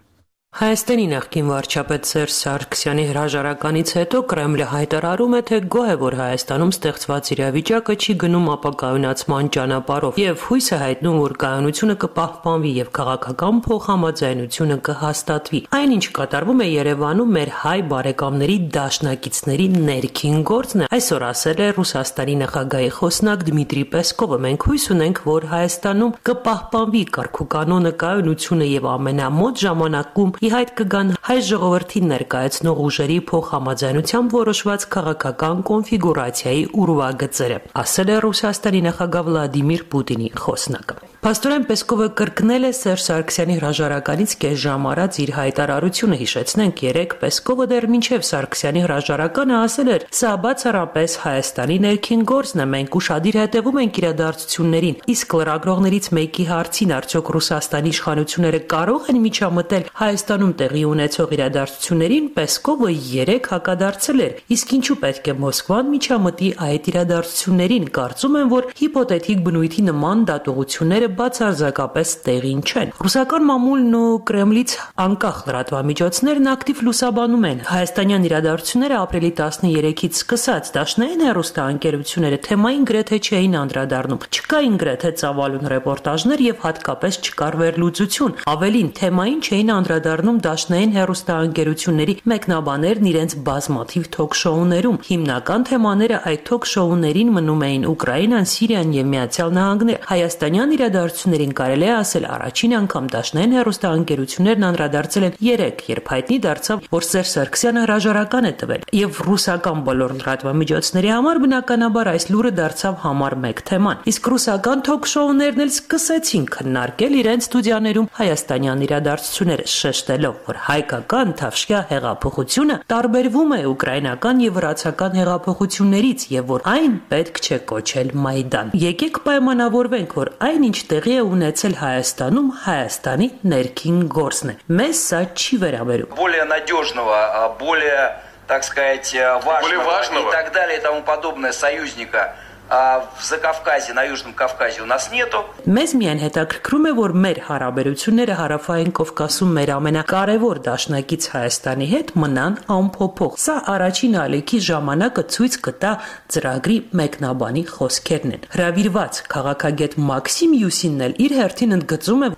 Հայաստանի նախկին վարչապետ Սերժ Սարգսյանի հրաժարականից հետո Կրեմլը հայտարարում է, թե գոհ է, որ Հայաստանում ստեղծված իրավիճակը չի գնում ապակայունացման ճանապարհով եւ հույս է հայտնում, որ կայունությունը կպահպանվի եւ քաղաքական փոխհամաձայնությունը կհաստատվի։ Այնինչ կատարվում է Երևանում մեր հայ բարեկամների դաշնակիցների ներքին գործն է, այսօր ասել է Ռուսաստանի նախագահի խոսնակ Դմիտրի Պեսկովը։ Մենք հույս ունենք, որ Հայաստանում կպահպանվի կարգուկանոնը, կայունությունը եւ ամենամոտ ժամանակում ի հայտ կգան հայ ժողովրդին ներկայացնող ուժերի փոխհամաձայնությամբ որոշված քաղաքական կոնֆիգուրացիայի ուրվագծերը, ասել է Ռուսաստանի նախագահ Վլադիմիր Պուտինի խոսնակը։ Փաստորեն Պեսկովը կրկնել է Սերժ Սարգսյանի հրաժարականից կես ժամ առաջ իր հայտարարությունը, հիշեցնենք, երեք Պեսկովը դեռ մինչև Սարգսյանի հրաժարականը ասել էր. «Սա բացառապես Հայաստանի ներքին գործն է, մենք ուշադիր հետևում ենք իրադարձություններին»։ Իսկ լրագրողներից մեկի հարցին, արդյոք Ռուսաստանի իշխանությունները կարող են միջամտել Հայաստանում տեղի ունեցող իրադարձություններին, Պեսկովը երեք հակադարձել էր. «Իսկ ինչու պետք է Մոսկվան միջամտի այդ իրադարձություններին, կարծում եմ, որ հիպոթետիկ բնույթի նման դատողությունները բացարձակապես տեղին չեն»։ Ռուսական մամուլն ու Կրեմլից անկախ լրատվամիջոցներն ակտիվ լուսաբանում են հայաստանյան իրադարձությունները ապրիլի տասներեքից սկսած։ Դաշնային հեռուստաընկերությունները թեմային գրեթե չէին անդրադառնում, չկային գրեթե ծավալուն ռեպորտաժներ եւ հատկապես չկար վերլուծություն։ Ավելին, թեմային չէին անդրադառնում դաշնային հեռուստաընկերությունների մեկնաբաներն իրենց բազմաթիվ թոք-շոուներում։ Հիմնական թեմաները այդ թոք-շոուներին մնում էին Ուկրաինան, Սիրիան եւ Միացյալ Նահանգները։ Հայաստանյան իրադարձություններին կարելի է ասել առաջին անգամ դաշնային հեռուստաընկերություններն անդրադարձել են երեք, երբ հայտնի դարձավ, որ Սերժ Սարգսյանը հրաժարական է տվել, եւ ռուսական բոլոր լրատվամիջոցների համար բնականաբար այս լուրը դարձավ համար մեկ թեման։ Իսկ ռուսական թոք-շոուներն էլ սկսեցին քննարկել իրենց ստուդիաներում հայաստանյան իրադարձությունները, շեշտելով, որ հայկական Թավշյա հեղափոխությունը տարբերվում է ուկրաինական եւ վրացական հեղափոխություններից եւ որ այն պետք չէ կոչել Մայդան։ Եկեք պայմանավորվենք, որ այն ինչ տեղի է ունեցել Հայաստանում, Հայաստանի ներքին գործն է։ Մեզ սա չի վերաբերում։ Более надежного, более, так сказать, важного и так далее и тому подобное союзника в Закавказье, на Южном Кавказе у нас нету. Մեզ միայն հետաքրքրում է, որ մեր հարաբերությունները Հարավային Կովկասում մեր ամենակարևոր դաշնակից Հայաստանի հետ մնան անփոփոխ։ Սա առաջին ալիքի ժամանակը ցույց կտա ծրագրի մեկնաբանի խոսքերն են։ Հրավիրված քաղաքագետ Մաքսիմ Յուսինն էլ իր հերթին ընդգծում է.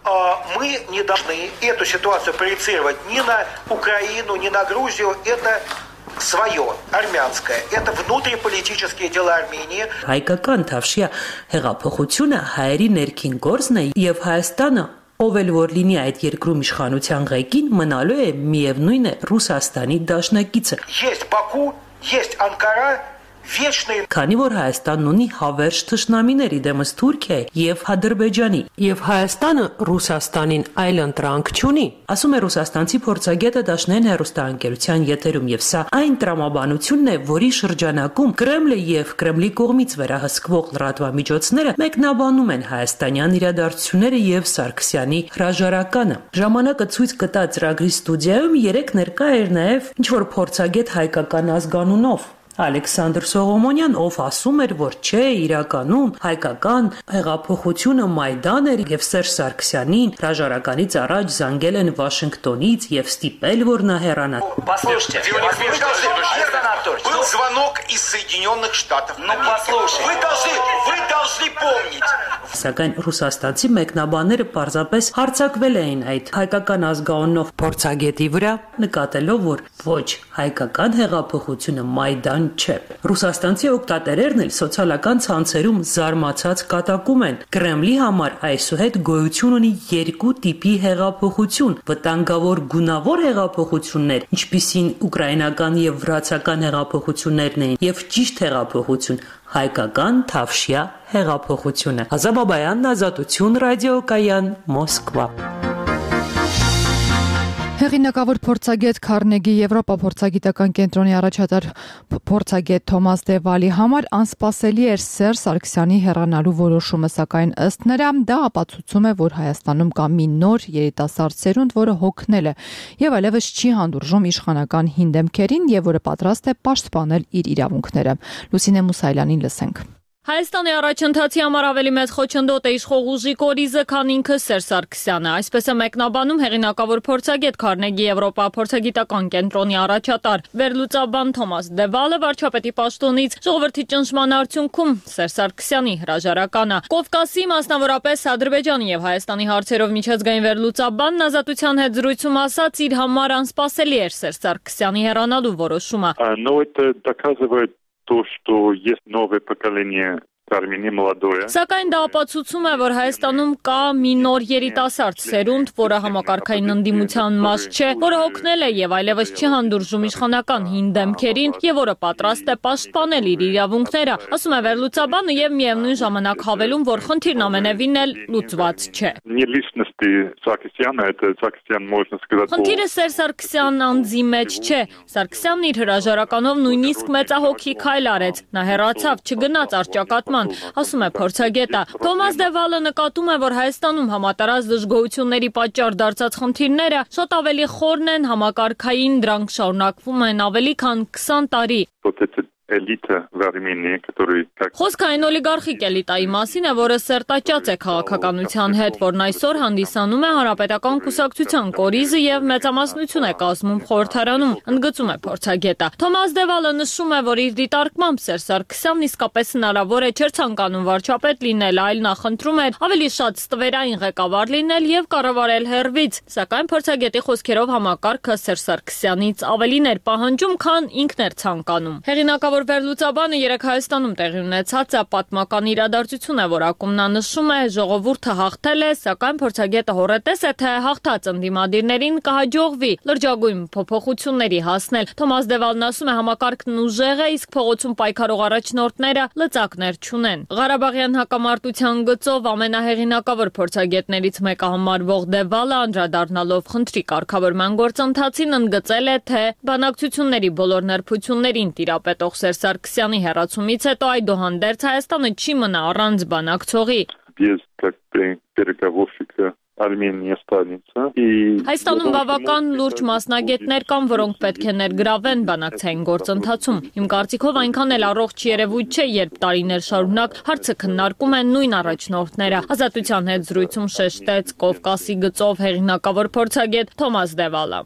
Мы не должны эту ситуацию проецировать ни на Украину, ни на Грузию. Это свое, армянское. Это внутриполитические дела Армении. Հայկական Թավշյա հեղափոխությունը հայերի ներքին գործն է եւ Հայաստանը, ով էլ որ լինի այդ երկրում իշխանության ղեկին, մնալու է միևնույն է Ռուսաստանի դաշնակիցը։ Есть Баку, есть Анкара. Քանի որ Հայաստանն ունի հավերժ թշնամիներ իդեմս Թուրքիայի եւ Ադրբեջանի, եւ Հայաստանը Ռուսաստանին այլ ընտրանք չունի, ասում է ռուսաստանցի փորձագետը դաշնային հեռուստաընկերության եթերում, եւ սա այն տրամաբանությունն է, որի շրջանակում Կրեմլը եւ Կրեմլի կողմից վերահսկվող լրատվամիջոցները մեկնաբանում են հայաստանյան իրադարձությունները եւ Սարգսյանի հրաժարականը։ Ժամանակը ցույց կտա ծրագրի ստուդիայում երեք ներկա էր նաեւ ինչ որ փորձագետ հայկական ազգանունով Ալեքսանդր Սողոմոնյան, ով ասում էր, որ չէ, իրականում հայկական հեղափոխությունը Մայդան էր եւ Սերժ Սարգսյանին հրաժարականից առաջ զանգել են Վաշինգտոնից եւ ստիպել, որ նա հեռանա։ Послушайте, был звонок из Соединенных Штатов. Ну послушайте, вы должны, вы должны помнить. Սակայն ռուսաստանցի մեկնաբանները պարզապես հարձակվել էին այդ հայկական ազգանունով փորձագետի վրա, նկատելով, որ ոչ հայկական հեղափոխությունը Մայդան չէ։ Ռուսաստանցի օգտատերերն էլ սոցիալական ցանցերում զարմացած կատակում են։ Կրեմլի համար այսուհետ գոյություն ունի երկու տիպի հեղափոխություն՝ վտանգավոր գունավոր հեղափոխություններ, ինչպիսին ուկրաինական եւ վրացական հեղափոխություններն էին, եւ ճիշտ հեղափոխություն՝ հայկական Թավշյա հեղափոխությունը։ Ազատ Բաբայան, Ազատություն, ռադիոկայան, Մոսկվա։ Հեղինակավոր փորձագետ Քարնեգի Եվրոպա փորձագիտական կենտրոնի առաջատար փորձագետ Թոմաս Դևալի համար անսպասելի էր Սերժ Սարգսյանի հեռանալու որոշումը, սակայն ըստ նրա դա ապացուցում է, որ Հայաստանում կա մի նոր երիտասարդ սերունդ, որը հոգնել է եւ այլևս չի հանդուրժում իշխանական հին դեմքերին եւ որը պատրաստ է պաշտպանել իր իրավունքները։ Լուսինե Մուսայելյանին լսենք։ Հայաստանի առաջընթացի համար ավելի մեծ խոչընդոտ է իշխող ուժի կորիզը, քան ինքը Սերժ Սարգսյանը։ Այսպես է մեկնաբանում հեղինակավոր փորձագետ Քարնեգի Եվրոպա փորձագիտական կենտրոնի առաջատար վերլուծաբան Թոմաս Դևալը վարչապետի պաշտոնից ժողովրդի ճնշման արդյունքում Սերժ Սարգսյանի հրաժարականը։ Կովկասի, մասնավորապես Ադրբեջանի եւ Հայաստանի հարցերով միջազգային վերլուծաբանն Ազատության հետ զրույցում ասաց, իր համար անսպասելի էր Սերժ Սարգսյանի հեռանալու որոշումը։ Но это доказывает то, что есть новое поколение Արմենի молодое. Սակայն դա ապացուցում է, որ Հայաստանում կա մի նոր երիտասարդ սերունդ, որը համակարգային ընդդիմության մաս չէ, որը հոգնել է եւ այլևս չի հանդուրժում իշխանական հին դեմքերին եւ որը պատրաստ է պաշտպանել իր իրավունքները, ասում է վերլուծաբանը եւ միևնույն ժամանակ հավելում, որ խնդիրն ամենևին էլ լուծված չէ։ Не личности Սարգսյանը, это Սարգսյան можно сказать. Խնդիրը Սերժ Սարգսյան անձի մեջ չէ։ Սարգսյանն իր հրաժարականով նույնիսկ մեծահոգի քայլ արեց։ Նա հեռացավ, չգնաց առճակատման, ասում է փորձագետը։ Թոմաս Դևալը նկատում է, որ Հայաստանում համատարած դժգոհությունների պատճառ դարձած խնդիրները շատ ավելի խորն են, համակարգային, դրանք շարունակվում են ավելի քան քսան տարի։ Элита в Армении, который как Խոսքը այն օլիգարխիկ էլիտայի մասին է, որը սերտաճած է քաղաքականության հետ, որն այսօր հանդիսանում է հանրապետական կուսակցության կորիզը եւ մեծամասնություն է կազմում խորհրդարանում, ընդգծում է փորձագետը։ Թոմաս Դևալը նշում է, որ իր դիտարկմամբ Սերժ Սարգսյանն իսկապես հնարավոր է չէր ցանկանում վարչապետ լինել, այլ նախընտրում էր ավելի շատ ստվերային ղեկավար լինել եւ կառավարել հեռվից, սակայն փորձագետի խոսքերով համակարգը Սերժ Սարգսյանից ավելին էր պահանջում, քան ինքն էր ցանկանում։ Հեղինակավոր Գլխավոր վերլուծաբանը երեկ Հայաստանում տեղի ունեցած պատմական իրադարձություն է, որակում նա նշում է, ժողովուրդը հաղթել է, սակայն փորձագետը հոռետես է, թե հաղթած ընդդիմադիրներին կհաջողվի լրջագույն փոփոխությունների հասնել։ Թոմաս Դևալն ասում է, համակարգն ուժեղ է, իսկ փողոցում պայքարող առաջնորդները լծակներ չունեն։ Ղարաբաղյան հակամարտության գծով ամենահեղինակավոր փորձագետներից մեկը համարվող Դևալը անդրադառնալով խնդրի կարգավորման գործընթացին ընդգծել է, թե բանակցությունների բոլոր նրբություններին տիրապետող Սերժ Սարգսյանի հեռացումից հետո այդուհանդերձ Հայաստանը չի մնա առանց բանակցողի։ Հայաստանում բավական լուրջ մասնագետներ կան, որոնք պետք է ներգրավեն բանակցային գործընթացում։ Իմ կարծիքով այնքան էլ առողջ երևույթ չէ, երբ տարիներ շարունակ հարցը քննարկում են նույն առաջնորդները։ Ազատության հետ զրույցում շեշտեց Կովկասի գծով հեղինակավոր փորձագետ Թոմաս Դևալը։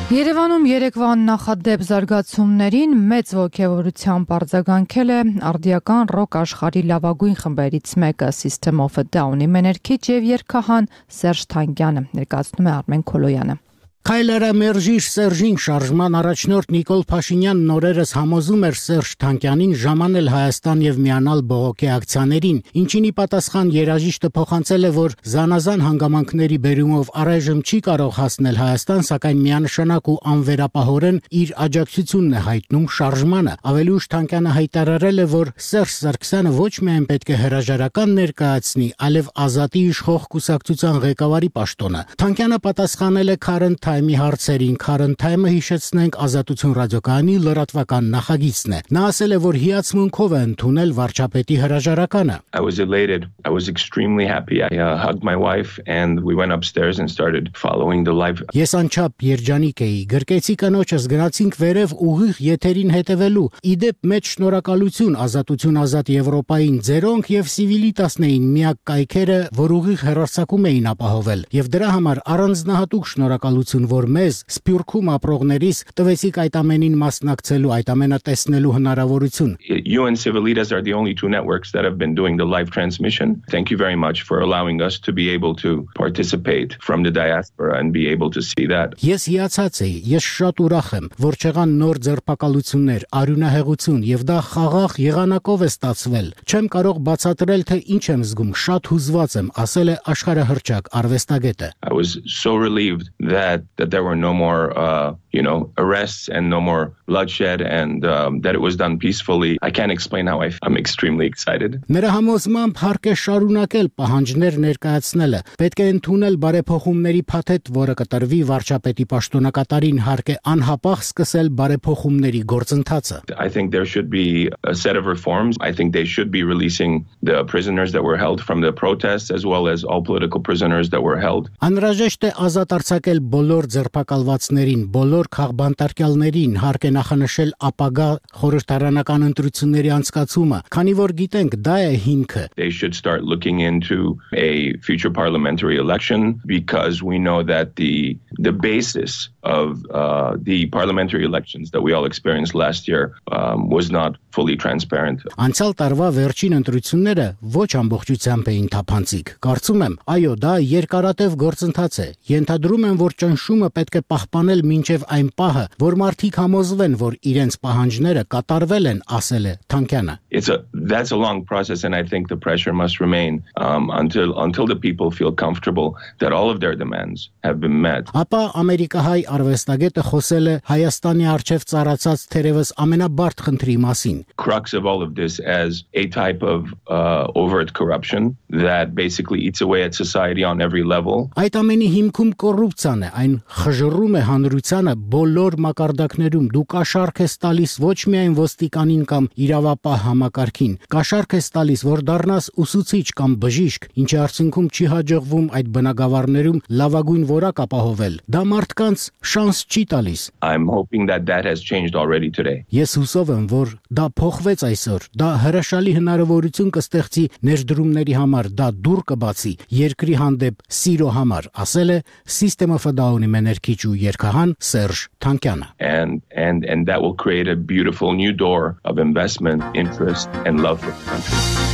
Երևանում երեկվա նախադեպ զարգացումներին մեծ ոգևորությամբ արձագանքել է արդիական ռոք աշխարհի լավագույն խմբերից մեկը System of a Down-ի մեներքիչ եւ երգահան Սերժ Թանկյանը, ներկայացնում է Արմեն Քոլոյանը։ Քայլերը մերժիր Սերժին շարժման առաջնորդ Նիկոլ Փաշինյանն օրերս համոզում էր Սերժ Թանկյանին ժամանել Հայաստան եւ միանալ բողոքի ակցիաներին, ինչինի պատասխան երաժիշտը փոխանցել է, որ զանազան հանգամանքների բերումով առայժմ չի կարող հասնել Հայաստան, սակայն միանշանակ ու անվերապահորեն իր աջակցությունն է հայտնում շարժմանը։ Ավելի ուշ Թանկյանը հայտարարել է, որ Սերժ Սարգսյանը ոչ միայն պետք է հրաժարական ներկայացնի, այլև ազատի իշխող կուսակցության ղեկավարի պաշտոնը։ Թանկյանը պատասխանել է Current Time-ի հարցերին, Current Time-ը հիշեցնենք Ազատություն ռադիոկայանի լրատվական նախագիծն է։ Նա ասել է, որ հիացմունքով է ընդունել վարչապետի հրաժարականը։ I was elated. I was extremely happy. I uh, hugged my wife and we went upstairs and started following the live. Ես անչափ երջանիկ էի։ Գրկեցի կնոջս, գնացինք վերև ուղիղ եթերին հետևելու։ Իդեպ մեծ շնորհակալություն Ազատություն ազատ Եվրոպային, ձերոնք եւ Civitas-ն էին միակ կայքերը, որ ուղիղ հեռարձակում էին ապահովել։ Եվ դրա համար առանձնահատուկ շնորհակալություն, որ մեզ Սփյուռքում ապրողներիս տվեցիք այդ ամենին մասնակցելու, այդ ամենը տեսնելու հնարավորություն։ You and Civitas are the only two networks that have been doing the live transmission. Thank you very much for allowing us to be able to participate from the diaspora and be able to see that. Ես հիացած էի, ես շատ ուրախ եմ, որ չեղան նոր ձերբակալություններ, արյունահեղություն եւ դա խաղաղ եղանակով է ստացվել։ Չեմ կարող բացատրել, թե ինչ եմ զգում, շատ հուզված եմ, ասել է աշխարհահռչակ արվեստագետը։ I was so relieved that that there were no more uh you know arrests and no more bloodshed and um, that it was done peacefully. I can't explain how I I'm extremely excited. Նրա համոզմամբ հարկ է շարունակել պահանջներ ներկայացնելը։ Պետք է ընդունել բարեփոխումների փաթեթ, որը կտրվի վարչապետի պաշտոնակատարին, հարկ է անհապաղ սկսել բարեփոխումների գործընթացը։ I think there should be a set of reforms. I think they should be releasing the prisoners that were held from the protests as well as all political prisoners that were held. Անհրաժեշտ է ազատ արձակել բոլոր ձերբակալվածներին, բոլոր քաղբանտարկյալներին, հարկ է նախանշել ապագա խորհրդարանական ընտրությունների անցկացումը, քանի որ գիտենք դա է հիմքը։ They should start looking into a future parliamentary election because we know that the the basis of uh, the parliamentary elections that we all experienced last year um, was not fully transparent. Անցյալ տարվա վերջին ընտրությունները ոչ ամբողջությամբ էին թափանցիկ։ Կարծում եմ, այո, դա երկարատև գործընթաց է։ Ենթադրում եմ, որ ճնշումը պետք է պահպանել մինչև այն պահը, որ մարդիկ համոզվեն, որ իրենց պահանջները կատարվել են, ասել է Թանկյանը։ It's a that's a long process and I think the pressure must remain um, until until the people feel comfortable that all of their demands have been met. Ապա ամերիկահայ արվեստագետը խոսել է Հայաստանի արչև ծառացած թերևս ամենաբարդ խնդրի մասին։ Crux of all of this as a type of uh, overt corruption that basically eats away at society on every level. Այդ ամենի հիմքում կոռուպցիան է, այն խժռում է հանրությանը բոլոր մակարդակներում։ Դու կաշառք ես տալիս ոչ միայն ոստիկանին կամ իրավապահ համակարգին, կաշառք ես տալիս, որ դառնաս ուսուցիչ կամ բժիշկ, ինչի արդյունքում չի հաջողվում այդ բնակավարներում լավագույն որակ ապահովել։ Դա մարդկանց շանս չի տալիս։ I'm hoping that that has changed already today. Ես հուսով եմ, որ դա փոխվեց այսօր։ Դա հրաշալի հնարավորություն կստեղծի ներդրումների համար, դա դուռ կբացի երկրի հանդեպ սիրո համար, ասել է System of a Down-ի մեներքիչ ու երգահան Սերժ Թանկյանը։ And and and that will create a beautiful new door of investment, interest and love for the country.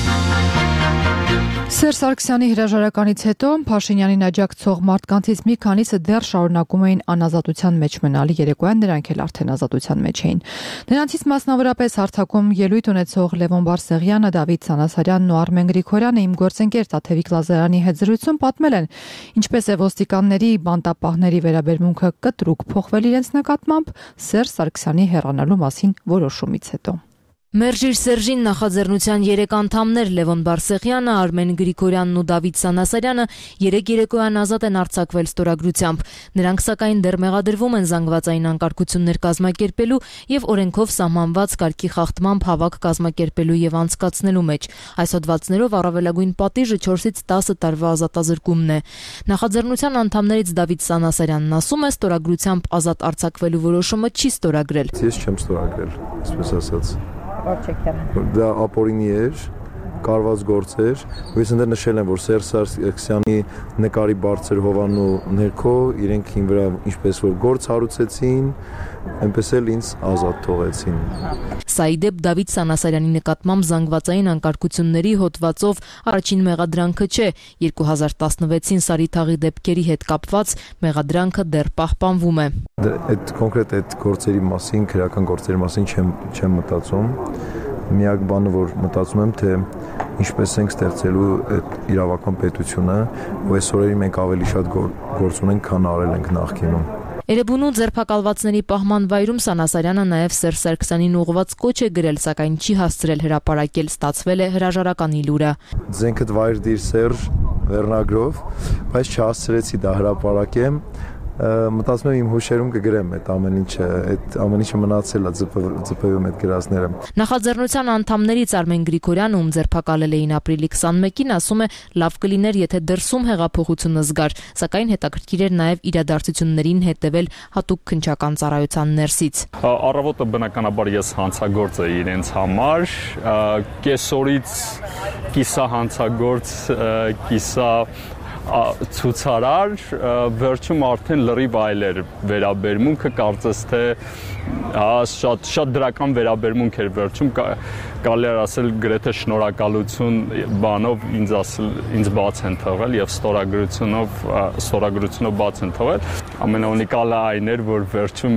Սերժ Սարգսյանի հրաժարականից հետո Փաշինյանին աջակցող մարդկանցից մի քանիսը դեռ շարունակում էին անազատության մեջ մնալ, երեկոյան նրանք էլ արդեն ազատության մեջ էին։ Նրանցից մասնավորապես հարթակում ելույթ ունեցող Լևոն Բարսեղյանը, Դավիթ Սանասարյանն ու Արմեն Գրիգորյանը իմ գործընկեր Տաթևիկ Լազարյանի հետ զրույցում պատմել են, ինչպես է ոստիկանների բանտապահների վերաբերմունքը կտրուկ փոխվել իրենց նկատմամբ Սերժ Սարգսյանի հեռանալու մասին որոշումից հետո։ Մերժիր Սերժին նախաձեռնության երեք անդամներ Լևոն Բարսեղյանը, Արմեն Գրիգորյանն ու Դավիթ Սանասարյանը երեք երեկոյան ազատ են արձակվել ստորագրությամբ։ Նրանք սակայն դեռ մեղադրվում են զանգվածային անկարգություններ կազմակերպելու եւ օրենքով սահմանված կարգի խախտմամբ հավաք կազմակերպելու եւ անցկացնելու մեջ։ Այս հոդվածներով առավելագույն պատիժը չորսից տասը տարվա ազատազրկումն է։ Նախաձեռնության անդամներից Դավիթ Սանասարյանն ասում է, ստորագրությամբ ազատ արձակվելու որոշումը չի ստորագրել։ Ես չեմ ստորագրել, այսպես ասած։ Դա ապօրինի էր, կարված գործ էր, ու ես ընդեր նշել եմ, որ Սերժ Սարգսյանի նկարի բարձր հովանու ներքո իրենք ին վրա ինչպես որ գործ հարուցեցին, այնպես էլ ինձ ազատ թողեցին։ Սա ի դեպ Դավիթ Սանասարյանի նկատմամբ զանգվածային անկարգությունների հոդվածով առաջին մեղադրանքը չէ, երկու հազար տասնվեցին Սարիթաղի դեպքերի հետ կապված մեղադրանքը դեռ պահպանվում է։ Այդ կոնկրետ այդ գործերի մասին, քրեական գործերի մասին չեմ չեմ մտածում։ Միակ բանը, որ մտածում եմ, թե ինչպես ենք ստեղծելու այդ իրավական պետությունը, ու այս օրերի մենք ավելի շատ գործ ունենք, քան արել ենք նախկինում։ Էրեբունու ձերբակալվածների պահման վայրում Սանասարյանը նաև Սերժ Սարգսյանին ուղղված կոչ է գրել, սակայն չի հասցրել հրապարակել, ստացվել է հրաժարականի լուրը։ Ձենքդ վայր դիր Սերժ վերնագրով, բայց չհասցրեցի դա հրապարակեմ։ Մտածում եմ իմ հուշերում կգրեմ այդ ամեն ինչը, այդ ամեն ինչը մնացել է ձպևում այդ գրածները։ Նախաձեռնության անդամներից Արմեն Գրիգորյանը, ում ձերբակալել էին ապրիլի քսանմեկին, ասում է, լավ կլիներ, եթե դրսում հեղափոխությունը զգար, սակայն հետաքրքիր էր նաև իրադարձություններին հետևել հատուկ քննչական ծառայության ներսից։ Առավոտը բնականաբար ես հանցագործ էի իրենց համար, կեսօրից կիսա հանցագործ, կիսա ցուցարար, վերջում արդեն լրիվ այլ էր վերաբերմունքը, կարծես թե շատ շատ դրական վերաբերմունք էր վերջում, կարելի է ասել գրեթե շնորհակալություն բանով ինձ ասել ինձ բաց են թողել եւ ստորագրությունով ստորագրությունով բաց են թողել։ Ամենաունիկալը այն էր, որ վերջում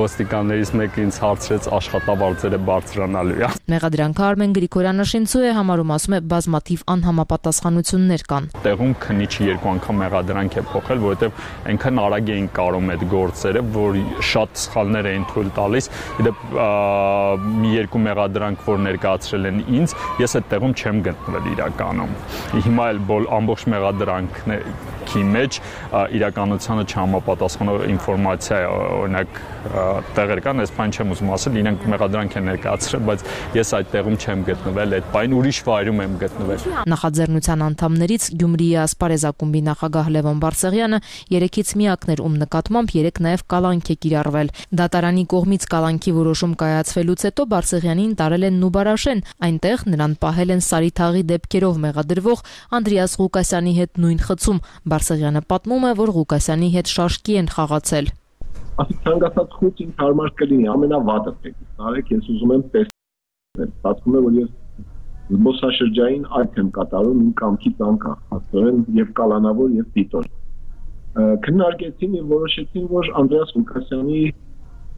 ոստիկաններից մեկը ինձ հարցրեց աշխատավարձերը բարձրանալու։ Մեղադրանքը Արմեն Գրիգորյանը շինծու է համարում, ասում է, բազմաթիվ անհամապատասխանություններ կան։ Տեղում քննիչը երկու անգամ մեղադրանք է փոխել, որովհետեւ այնքան արագ էին կարում այդ գործերը, որ շատ սխալներ էին թույլ տալիս։ Դեպ մի երկու մեղադրանք, որ ներկայացրել են ինձ, ես այդ տեղում չեմ գտնվել իրականում։ Հիմա էլ ամբողջ մեղադրանքի մեջ իրականությանը չհամապատասխանող ինֆորմացիա է, օրինակ տեղեր կան, այս բան չեմ ուզում ասել, իրենք մեղադրանք են ներկայացրել, բայց ես այդ տեղում չեմ գտնվել, այդ բան ուրիշ վայրում եմ գտնվել։ Նախաձեռնության անդամներից Գյումրիի Ասպարեզ ակումբի նախագահ Լևոն Բարսեղյանը երեքից միակն էր, ում նկատմամբ երեք նաև կալանք է կիրառվել։ Դատարանի կողմից կալանքի որոշում կայացվելուց հետո Բարսեղյանին տարել են Նուբարաշեն, այնտեղ նրան պահել են Սարիթաղի դեպքերով մեղադրվող Անդրեաս Ղուկասյանի հետ նույն խցում։ Բարսեղյանը պատմում է, որ Ղուկասյանի հետ շաշկի են խաղացել։ Ասիկ ցանկացած խույս ինձ հարմար կլինի, ամենավատը տեքստ արեք, ես ուզում եմ տեսնել։ Պատմում է, որ ես զբոսաշրջային այց եմ կատարում իմ կամքից անկախ, հաստորեն եւ կալանավոր եւ դիտոր։ Քննարկեցին եւ որոշեցին, որ Անդրեաս Ղուկասյանի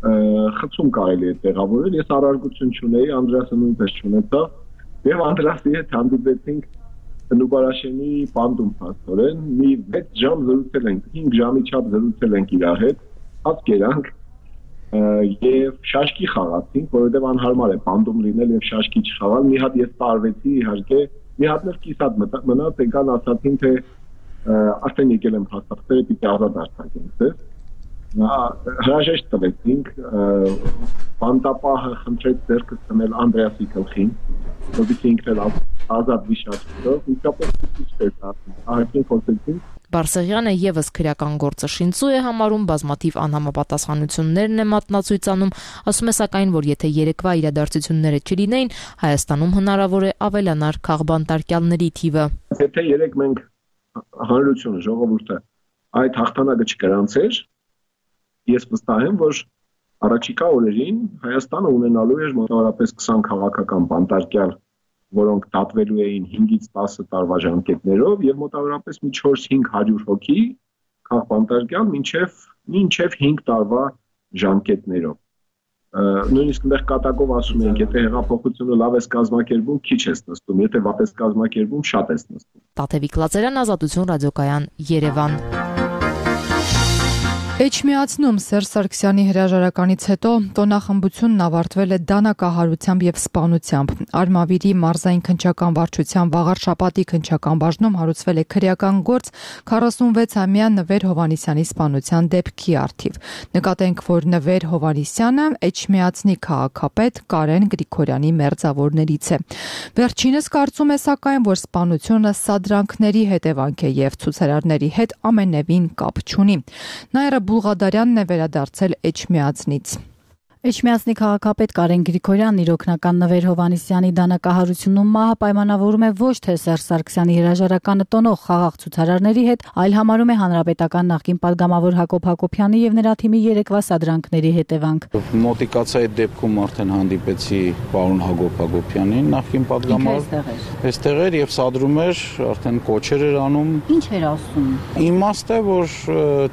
խցում կարելի է տեղավորել, ես առարգություն չունեի, Անդրեասը նույնպես չունեցավ եւ Անդրեասի հետ հանդիպեցինք Նուբարաշենի պանդում հաստորեն, մի վեց ժամ զրուցել ենք, հինգ ժամի չափ զրուցել ենք իր հետ, հաց կերանք եւ շաշկի խաղացինք, որովհետեւ անհարմար է պանդում լինել եւ շաշկի չխաղալ։ Մի հատ ես տարվեցի, իհարկե, մի հատ էլ կիսատ մնաց, եկան ասացին, թե արդեն եկել եմ հաստատել, պիտի ազատ արձակենք ձեզ։ Հրաժեշտ տվեցինք, բանտապահը խնդրեց ձեռքը ցնել Անդրեասի գլխին, որովհետեւ ինքն էլ ազատ վիշապով, իսկապես ցույց ահագին խոսեցինք։ Բարսեղյանը եւս քրեական գործը շինծու է համարում, բազմաթիվ անհամապատասխանություններն է մատնացույցանում, ասում է սակայն, որ եթե երեկվա իրադարձությունները չլինեին, Հայաստանում հնարավոր է ավելանար քաղբանտարկյալների թիվը։ Եթե երեք մենք հանրությունը, ժողովուրդը այդ հաղթանակը չգրանցեր, ես վստահ եմ, որ առաջիկա օրերին Հայաստանը ունենալու էր մոտավորապես քսան քաղաքական բանտարկյալ որոնք դատվելու էին հինգից տասը տարվա ժամկետներով եւ մոտավորապես մի չորս-հինգ հարյուր հոգի քաղբանտարկյալ մինչեւ մինչեւ հինգ տարվա ժամկետներով։ Նույնիսկ մեր կատակով ասում ենք, եթե հեղափոխությունը լավ է կազմակերպում, քիչ է նստում, եթե վատ է կազմակերպում, շատ է նստում։ Տաթևիկ Լազարյան, Ազատություն ռադիոկայան, Երևան։ Էջմիածնում Սերժ Սարգսյանի հրաժարականից հետո տոնախմբությունն ավարտվել է դանակահարությամբ եւ սպանությամբ։ Արմավիրի մարզային քննչական վարչության վաղար շաբաթի քննչական բաժնում հարուցվել է քրեական գործ քառասունվեցամյա Նվեր Հովհաննիսյանի սպանության դեպքի առթիվ։ Նկատենք, որ Նվեր Հովհաննիսյանը Էջմիածնի քաղաքապետ Կարեն Գրիգորյանի մերձավորներից է։ Վերջինս կարծում է սակայն, որ սպանությունը սադրանքների հետևանք է եւ ցուցարարների հետ ամենևին կապ չունի։ Նաիրա Բուլղադարյանն է վերադարձել Էջմիածնից։ Էջմիածնի քաղաքապետ Կարեն Գրիգորյանն իր օգնական Նվեր Հովհաննիսյանի դանակահարությունում մահը պայմանավորում է ոչ թե Սերժ Սարգսյանի հրաժարականը տոնող խաղաղ ցուցարարների հետ, այլ համարում է հանրապետական նախկին падգամավոր Հակոբ Հակոբյանի եւ նրա թիմի երեկվա սադրանքների հետևանք։ Մոտիկացայի դեպքում արդեն հանդիպեցի պարոն Հակոբ Հակոբյանին, նախկին падգամավոր, այստեղ էր եւ սադրում էր, արդեն կոչեր էր անում։ Ինչ էր ասում։ Իմաստը, որ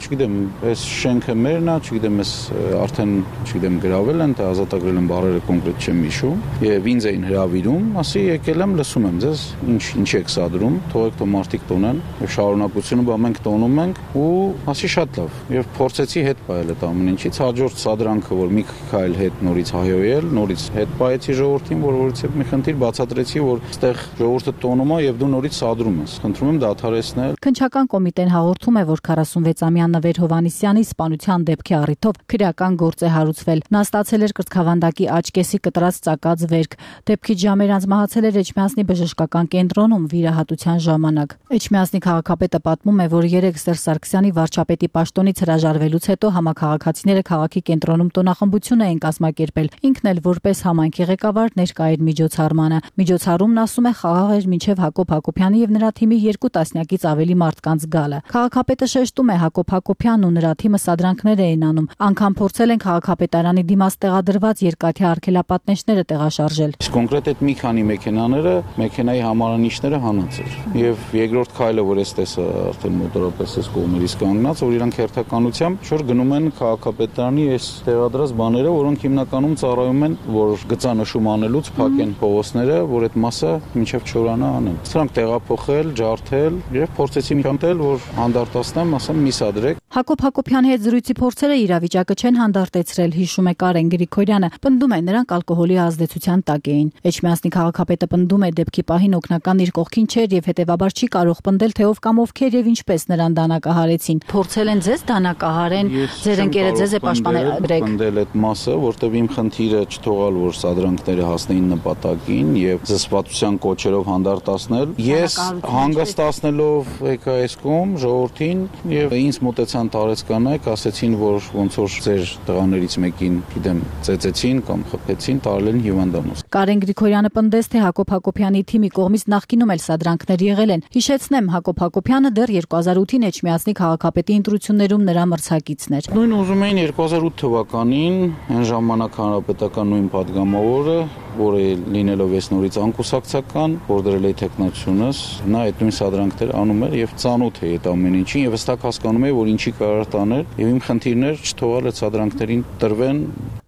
չգիտեմ, այս շենքը մերն է, չգիտեմ, այս արդեն, չգիտեմ, գրավել են, թե ազատագրել են բառերը կոնկրետ չեմ հիշում, եւ ինձ էին հրավիրում, ասի եկել եմ, լսում եմ ձեզ, ինչ ինչ եք սադրում, թողեք թող մարդիկ տոնեն, եւ շարունակությունը բա մենք տոնում ենք, ու ասի շատ լավ, եւ փորձեցի հետ պայել այդ ամեն ինչից, հաջորդ սադրանքը, որ մի քայլ հետ նորից հայոյել, նորից հետ պայեցի ժողովրդին, որ որից մի խնդիր բացատրեցի, որ այստեղ ժողովուրդը տոնում է եւ դու նորից սադրում ես։ Խնդրում եմ դադարեցնել։ Քննչական կոմիտեն հաղորդում է, որ քառասունվեցամյա Նվեր Հովհաննիսյանի սպանության դեպքի առիթով քրեական գործ է հարուցվել։ Նա ստացել էր կրծքավանդակի աչկեսի կտրած ծակած վերք։ Դեպքի ժամեր անց մահացել էր Էջմիածնի բժշկական կենտրոնում վիրահատության ժամանակ։ Էջմիածնի քաղաքապետը պատմում է, որ երեք Սերժ Սարգսյանի վարչապետի պաշտոնից հրաժարվելուց հետո համաքաղաքացիները քաղաքի կենտրոնում տոնախմբություն էին կազմակերպել։ Ինքն էլ որպես համայնքի ղեկավար ներկա էր միջոցառմանը։ Միջոցառումն, ասում է, խաղաղ էր մինչև Հակոբ Հակոբյանի եւ նրա թիմի երկու տասնյակից ավելի մարդկանց գալը։ Քաղաքապետը շեշտում է, Հակոբ Հակոբյանն ու նրա թիմը սադրանքներ էին անում։ Անգամ փորձել են քաղաքապետարանի դիմաց տեղադրված երկաթյա արգելապատնեշները տեղաշարժել։ Իսկ կոնկրետ այդ մի քանի մեքենաները, մեքենայի համարանիշները հանած էր։ Եվ երկրորդ քայլը, որ ես տեսա արդեն մոտորապես այս կողմերից կանգնած, որ իրանք հերթականությամբ շուտ գնում են քաղաքապետարանի այս տեղադրած բաները, որոնք հիմնականում ծառայում են, որ գծանշում անելուց փակեն փողոցները, որ այդ մասը մինչև չորանա անեն։ Սրանք տեղափոխել, ջարդել եւ փորձեցի միանտել, որ հանդարտացնեմ, ասեմ մի սադրեք։ Հակոբ Հակոբյանի հետ զրույցի փորձերը իրավիճակը չեն հանդարտեցրել, հիշում է Կարեն Գրիգորյանը, պնդում է, նրանք ալկոհոլի ազդեցության տակ էին։ Էջմիածնի քաղաքապետը պնդում է, դեպքի պահին օգնական իր կողքին չէր եւ հետեւաբար չի կարող պնդել, թե ով կամ ովքեր եւ ինչպես նրան դանակահարեցին։ Փորձել են ձեզ դանակահարեն, ձեր ընկերը ձեզ է պաշտպանել։ Պնդել այդ մասը, որտեղ իմ խնդիրը չթողալ, որ սադրանքները հասնեին նպատակին եւ զսպվածության կոչերով հանդարտացնել։ Ես հանգստացնելով եկա այս կողմ ժողովրդին եւ ինձ մոտեցան տարեցկանայք, ասեցին, որ ոնց որ ձեր տղաներից մեկին, գիտեմ, ծեծեցին կամ խփեցին, տարել են հիվանդանոց։ Կարեն Գրիգորյանը պնդեց, թե Հակոբ Հակոբյանի թիմի կողմից նախկինում էլ սադրանքներ եղել են։ Հիշեցնեմ, Հակոբ Հակոբյանը դեռ երկու հազար ութին Էջմիածնի քաղաքապետի ընտրություններում նրա մրցակիցն էր։ Նույն ուզում էին երկու հազար ութ թվականին այն ժամանակ հանրապետական նույն падգամավորը, որը լինելով այս նորից անկուսակցական, որ դրել է տեխնացիոնս, նա այդ նույն սադրանքները անում էր եւ ծանոթ է այդ ամեն ինչին եւ հստակ հասկանում է, որ ինչի կարող տաներ եւ իմ խնդիրներ չթողալ այդ սադրանքներին տրվեն։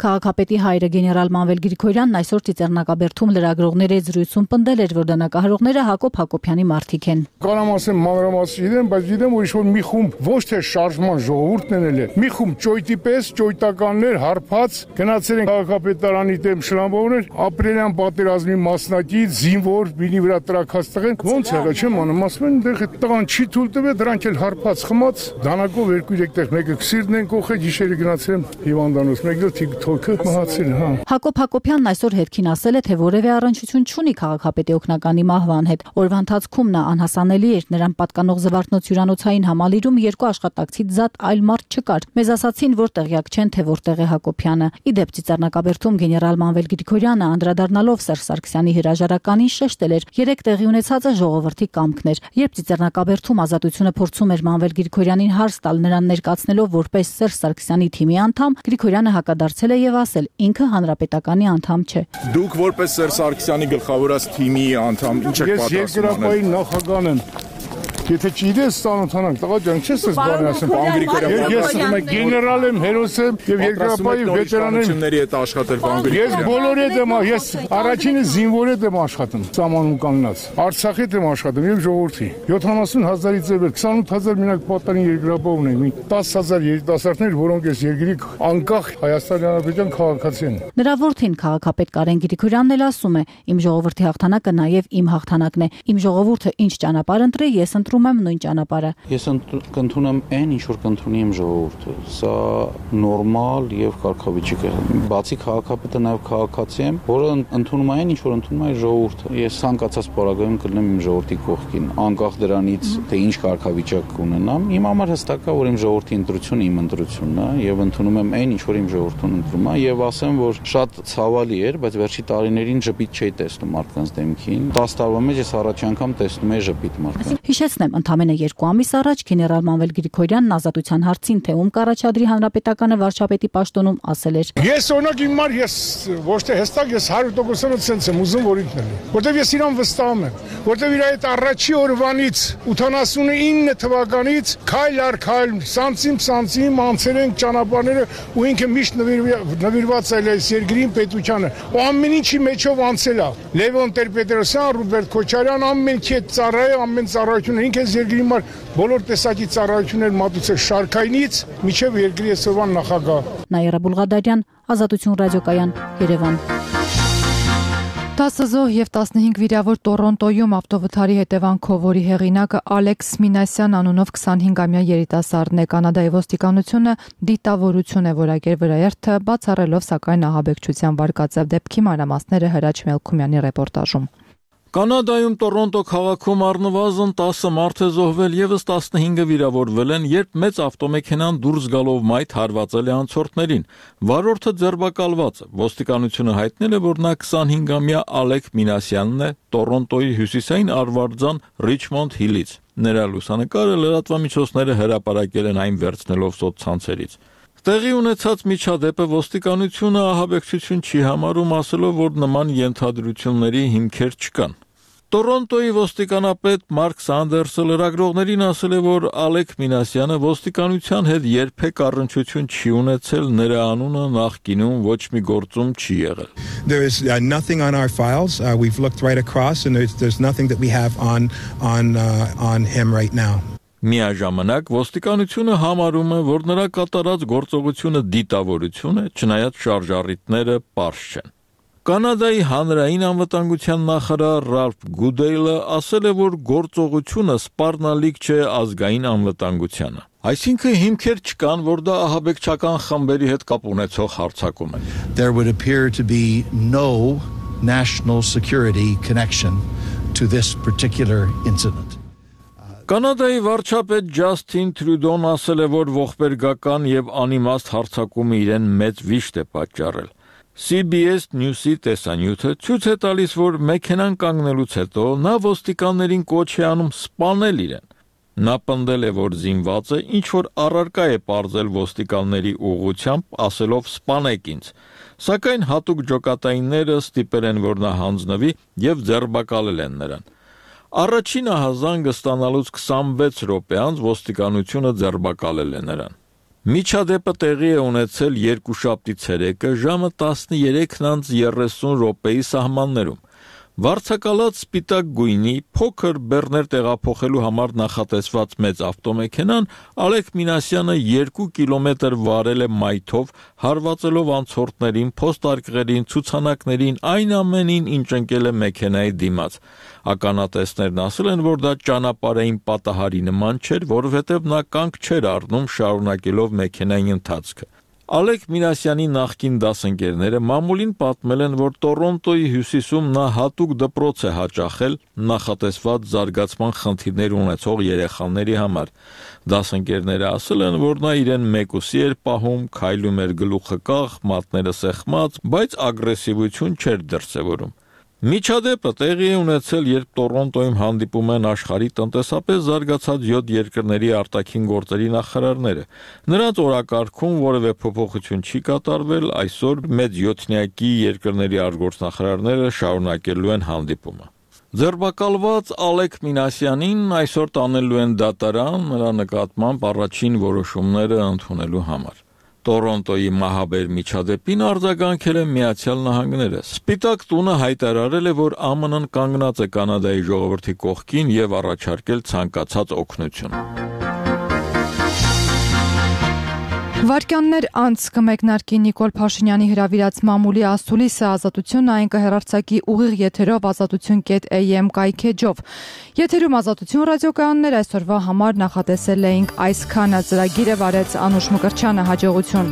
Քաղաքապետի հայրը գեներալ Մանվել Գրիգորյանն այսօր Ծիծեռնակաբերդում լրագրողների հետ զրույցում պնդել էր, որ դանակահարողները Հակոբ Հակոբյանի մարդիկ են։ Կարամ ասեմ մանրամասն գիտեմ, բայց գիտեմ, որ ինչ-որ մի խումբ ոչ թե շարժման ժողովուրդն են էլ, մի խումբ ճոյտի պես ճոյտականներ հարբած գնացել են քաղաքապետարանի դեմ շլամբովներ, ապրիլյան պատերազմի մասնակից, զինվոր, բինի վրա տրակած տղեն, ոնց եղա չեմ անում, ասում են դեղ տղան չի թույլ տվել, դրանք էլ հարբած խմած, դանակով երկու-երեք տեղ մեկը քսիրն են կողել, գիշերը գնացել եմ հիվանդանոց, մեկը թոքը մահացել, հա։ Հակոբ Հակոբյանն այսօր հետքին ասել է, թե որևէ առնչություն չունի քաղաքապետի օգնականի մահվան հետ։ Օրվա ընթացքում նա անհասանելի էր, նրան պատկանող Զվարթնոց հյուրանոցային համալիրում երկու աշխատակցից զատ այլ մարդ չկար։ Մեզ ասացին, որ տեղյակ չեն, թե որտեղ է Հակոբյանը։ Ի դեպ Ծիծեռնակաբերդում գեներալ Մանվել Գրիգորյանը անդրադառնալով Սերժ Սարգսյանի հրաժարականին շեշտել էր. երեք տեղի ունեցածը ժողովրդի կամքն էր։ Երբ Ծիծեռնակաբերդում Ազատությունը փորձում էր Մանվել Գրիգորյանին հարց տալ, նրան ներկայացնելով որպես Սերժ Սարգսյանի թիմի անդամ, Գրիգորյանը հակադարձել է եւ ասել, ինքը հանրապետականի անդամ չէ։ Դուք որպես Սերժ Սարգսյանի գլխավորած թիմի անդամ ինչ եք պատասխանում։ Ես երկրապահի նախագահն եմ։ Եթե չգիտես ծանոթանանք, տղա ջան, չես ես բանը ասեմ, Պան Գրիգորյան։ Ես գեներալ եմ, հերոս եմ եւ երկրապահի վետերան եմ։ Նորությունների հետ աշխատել Պան Գրիգորյան։ Ես բոլորի հետ եմ, ես առաջինը զինվորի հետ եմ աշխատում, սահմանում կանգնած։ Արցախի հետ եմ աշխատում եւ ժողովրդի։ յոթանասուն հազարից ձեր քսանութ հազար մենակ պատանին երկրապահ ունենք։ դաս հազար երիտասարդներ, որոնք այս երկրի անկախ Հայաստանի Հանրապետության քաղաքացի են։ Նրա որդին քաղաքապետ Կարեն Գրիգորյանն էլ ասում է. «Իմ ժողովրդի հաղթանակը նաեւ իմ հաղթանակն է։ Իմ ժողովուրդը ինչ ճանապարհ ընտրի, ես ընտրում եմ նույն ճանապարհը»։ Ես կընդունեմ այն, ինչ որ կընդունի իմ ժողովուրդը։ Սա նորմալ եւ կարգավիճակ է։ Բացի քաղաքապետը նաեւ քաղաքացի եմ, որը ընդունում է այն, ինչ որ ընդունում է ժողովուրդը։ Ես ցանկացած պարագայում կլինեմ իմ ժողովրդի կողքին, անկախ դրանից, թե ինչ կարգավիճակ ունենամ։ Իմ համար հստակ է, որ իմ ժողովրդի ընտրությունը իմ ընտրությունն է եւ ընդունում եմ այն, ինչ որ իմ ժողովուրդն ընդունում է եւ ասեմ, որ շատ ցավալի էր, բայց վերջի տարիներին ժպիտ չէի տեսնում մարդկանց դեմքին։ դաս տարվա մեջ ես առաջի անգամ տեսնում եի ժպիտ մարդկանց։ Հիշեցնեմ, ընդամենը երկու ամիս առաջ գեներալ Մանվել Գրիգորյանն ազատության հարցին, թե ում կառաջադրի հանրապետականը վարչապետի պաշտոնում, ասել էր. Ես օրինակ իմ մար ես ոչ թե հստակ ես հարյուր տոկոսանոց sense եմ ուզում որ ինքն է, որտեվ ես իրան վստահում եմ, որտեվ իր այդ առաջի օրվանից ութանասունինը թվականից քայլ առ քայլ, սանցիմ սանցիմ անցել են ճանապարհները ու ինքը միշտ նվիրված է այս երկրին, պետությանը, ու ամեն ինչի մեջով անցել է։ Լևոն Տեր-Պետրոսյան, Ռուբերտ Քոչարյան, ամեն քետ ծառայ, ամեն ծառայություն ինքը այս երկրի համար բոլոր տեսակի ծառայություններ մատուցել շարքայինից մինչև երկրի այսօրվան նախագահ։ Նաիրա Բուլղադարյան, Ազատություն ռադիոկայան, Երևան։ տասը զոհ եւ տասնհինգ վիրավոր Տորոնտոյում ավտովթարի հետևանքով, որի հեղինակը Ալեքս Մինասյան անունով քսանհինգամյա երիտասարդն է, Կանադայի ոստիկանությունը դիտավորություն է որակել վրաերթը, բացառելով սակայն ահաբեկչության վարկածև դեպքի մանրամասները Հրաչ Մելքումյանի ռեպորտաժում։ Կանադայում Տորոնտո քաղաքում առնվազն տասը մարդ է զոհվել, եւս տասնհինգը վիրավորվել են, երբ մեծ ավտոմեքենան դուրս գալով մայթ հարվածել է անցորդներին։ Վարորդը ձերբակալված է։ Ոստիկանությունը հայտնել է, որ նա քսանհինգամյա Ալեք Մինասյանն է, Տորոնտոյի հյուսիսային արվարձան Ռիչմոնդ Հիլից։ Նրա լուսանկարը լրատվամիջոցները հրապարակել են այն վերցնելով սոցցանցերից։ Տեղի ունեցած միջադեպը ոստիկանությունը ահաբեկչություն չի համարում, ասելով, որ նման ենթադրությունների հիմքեր չկան։ Տորոնտոյի ոստիկանապետ Մարկ Սանդերսը լրագրողներին ասել է, որ Ալեք Մինասյանը ոստիկանության հետ երբեք առնչություն չի ունեցել, նրա անունը նախկինում ոչ մի գործում չի եղել։ There is uh, nothing on our files. Uh, we've looked right across and there's there's nothing that we have on on uh, on him right now. Միաժամանակ ոստիկանությունը համարում է, որ նրա կատարած գործողությունը դիտավորություն է, չնայած շարժառիթները պարզ չեն։ Կանադայի հանրային անվտանգության նախարար Ռալֆ Գուդեյլը ասել է, որ գործողությունը սպառնալիք չէ ազգային անվտանգությանը։ Այսինքն հիմքեր չկան, որ դա ահաբեկչական խմբերի հետ կապ ունեցող հարձակում է։ There would appear to be no national security connection to this particular incident. Կանադայի վարչապետ Ջասթին Տրյուդոն ասել է, որ ողբերգական եւ անիմաստ հարձակումը իրեն մեծ վիշտ է պատճառել։ C B S News-ի տեսանյութը ցույց է տալիս, որ մեքենան կանգնելուց հետո նա ոստիկաններին կոչ է անում սպանել իրեն։ Նա պնդել է, որ զինված է, ինչ որ առարկա է պարզել ոստիկանների ուղղությամբ, ասելով սպանեք ինձ։ Սակայն հատուկ ջոկատայինները ստիպել են, որ նա հանձնվի եւ ձերբակալել են նրան։ Առաջին ահազանգը ստանալուց քսանվեց րոպե անց ոստիկանությունը ձերբակալել է նրան։ Միջադեպը տեղի է ունեցել երկուշաբթի ցերեկը ժամը տասներեքն երեսուն րոպեի սահմաններում։ Վարձակալած սպիտակ գույնի փոքր բեռներ տեղափոխելու համար նախատեսված մեծ ավտոմեքենան Ալեք Մինասյանը երկու կիլոմետր վարել է մայթով, հարվածելով անցորդներին, փոստարկղերին, ցուցանակներին, այն ամենին, ինչ ընկել է մեքենայի դիմաց։ Ականատեսներն ասել են, որ դա ճանապարհային պատահարի նման չէր, որովհետև նա կանգ չէր առնում շարունակելով մեքենայի ընթացքը։ Ալեք Մինասյանի նախկին դասընկերները մամուլին պատմել են, որ Տորոնտոյի հյուսիսում նա հատուկ դպրոց է հաճախել նախատեսված զարգացման խնդիրներ ունեցող երեխաների համար։ Դասընկերները ասել են, որ նա իրեն մեկուսի էր պահում, քայլում էր գլուխը կախ, մատները սեղմած, բայց ագրեսիվություն չէր դրսևորում։ Միջադեպը տեղի է ունեցել, երբ Տորոնտոյում հանդիպում են աշխարհի տնտեսապես զարգացած յոթ երկրների արտաքին գործերի նախարարները։ Նրանց օրակարգում որևէ փոփոխություն չի կատարվել, այսօր մեծ յոթնյակի երկրների արտգործնախարարները շարունակելու են հանդիպումը։ Ձերբակալված Ալեք Մինասյանին այսօր տանելու են դատարան նրա նկատմամբ առաջին որոշումները ընդունելու համար։ Տորոնտոյի մահաբեր միջադեպին արձագանքել է Միացյալ Նահանգները։ Սպիտակ տունը հայտարարել է, որ Α Մ Ն-ն կանգնած է Կանադայի ժողովրդի կողքին եւ առաջարկել ցանկացած օգնություն։ Վարկյաններ անց կմեկնարկի Նիկոլ Փաշինյանի հրավիրած մամուլի ասուլիսը ազատություն այն կհեռարձակի ուղիղ եթերով ազատություն կետ A M կայքեջով։ Եթերում ազատություն ռադիոկայաններ այսօրվա համար նախատեսել էինք այսքանը, ծրագիրը վարեց Անուշ Մկրտչյանը, հաջողություն։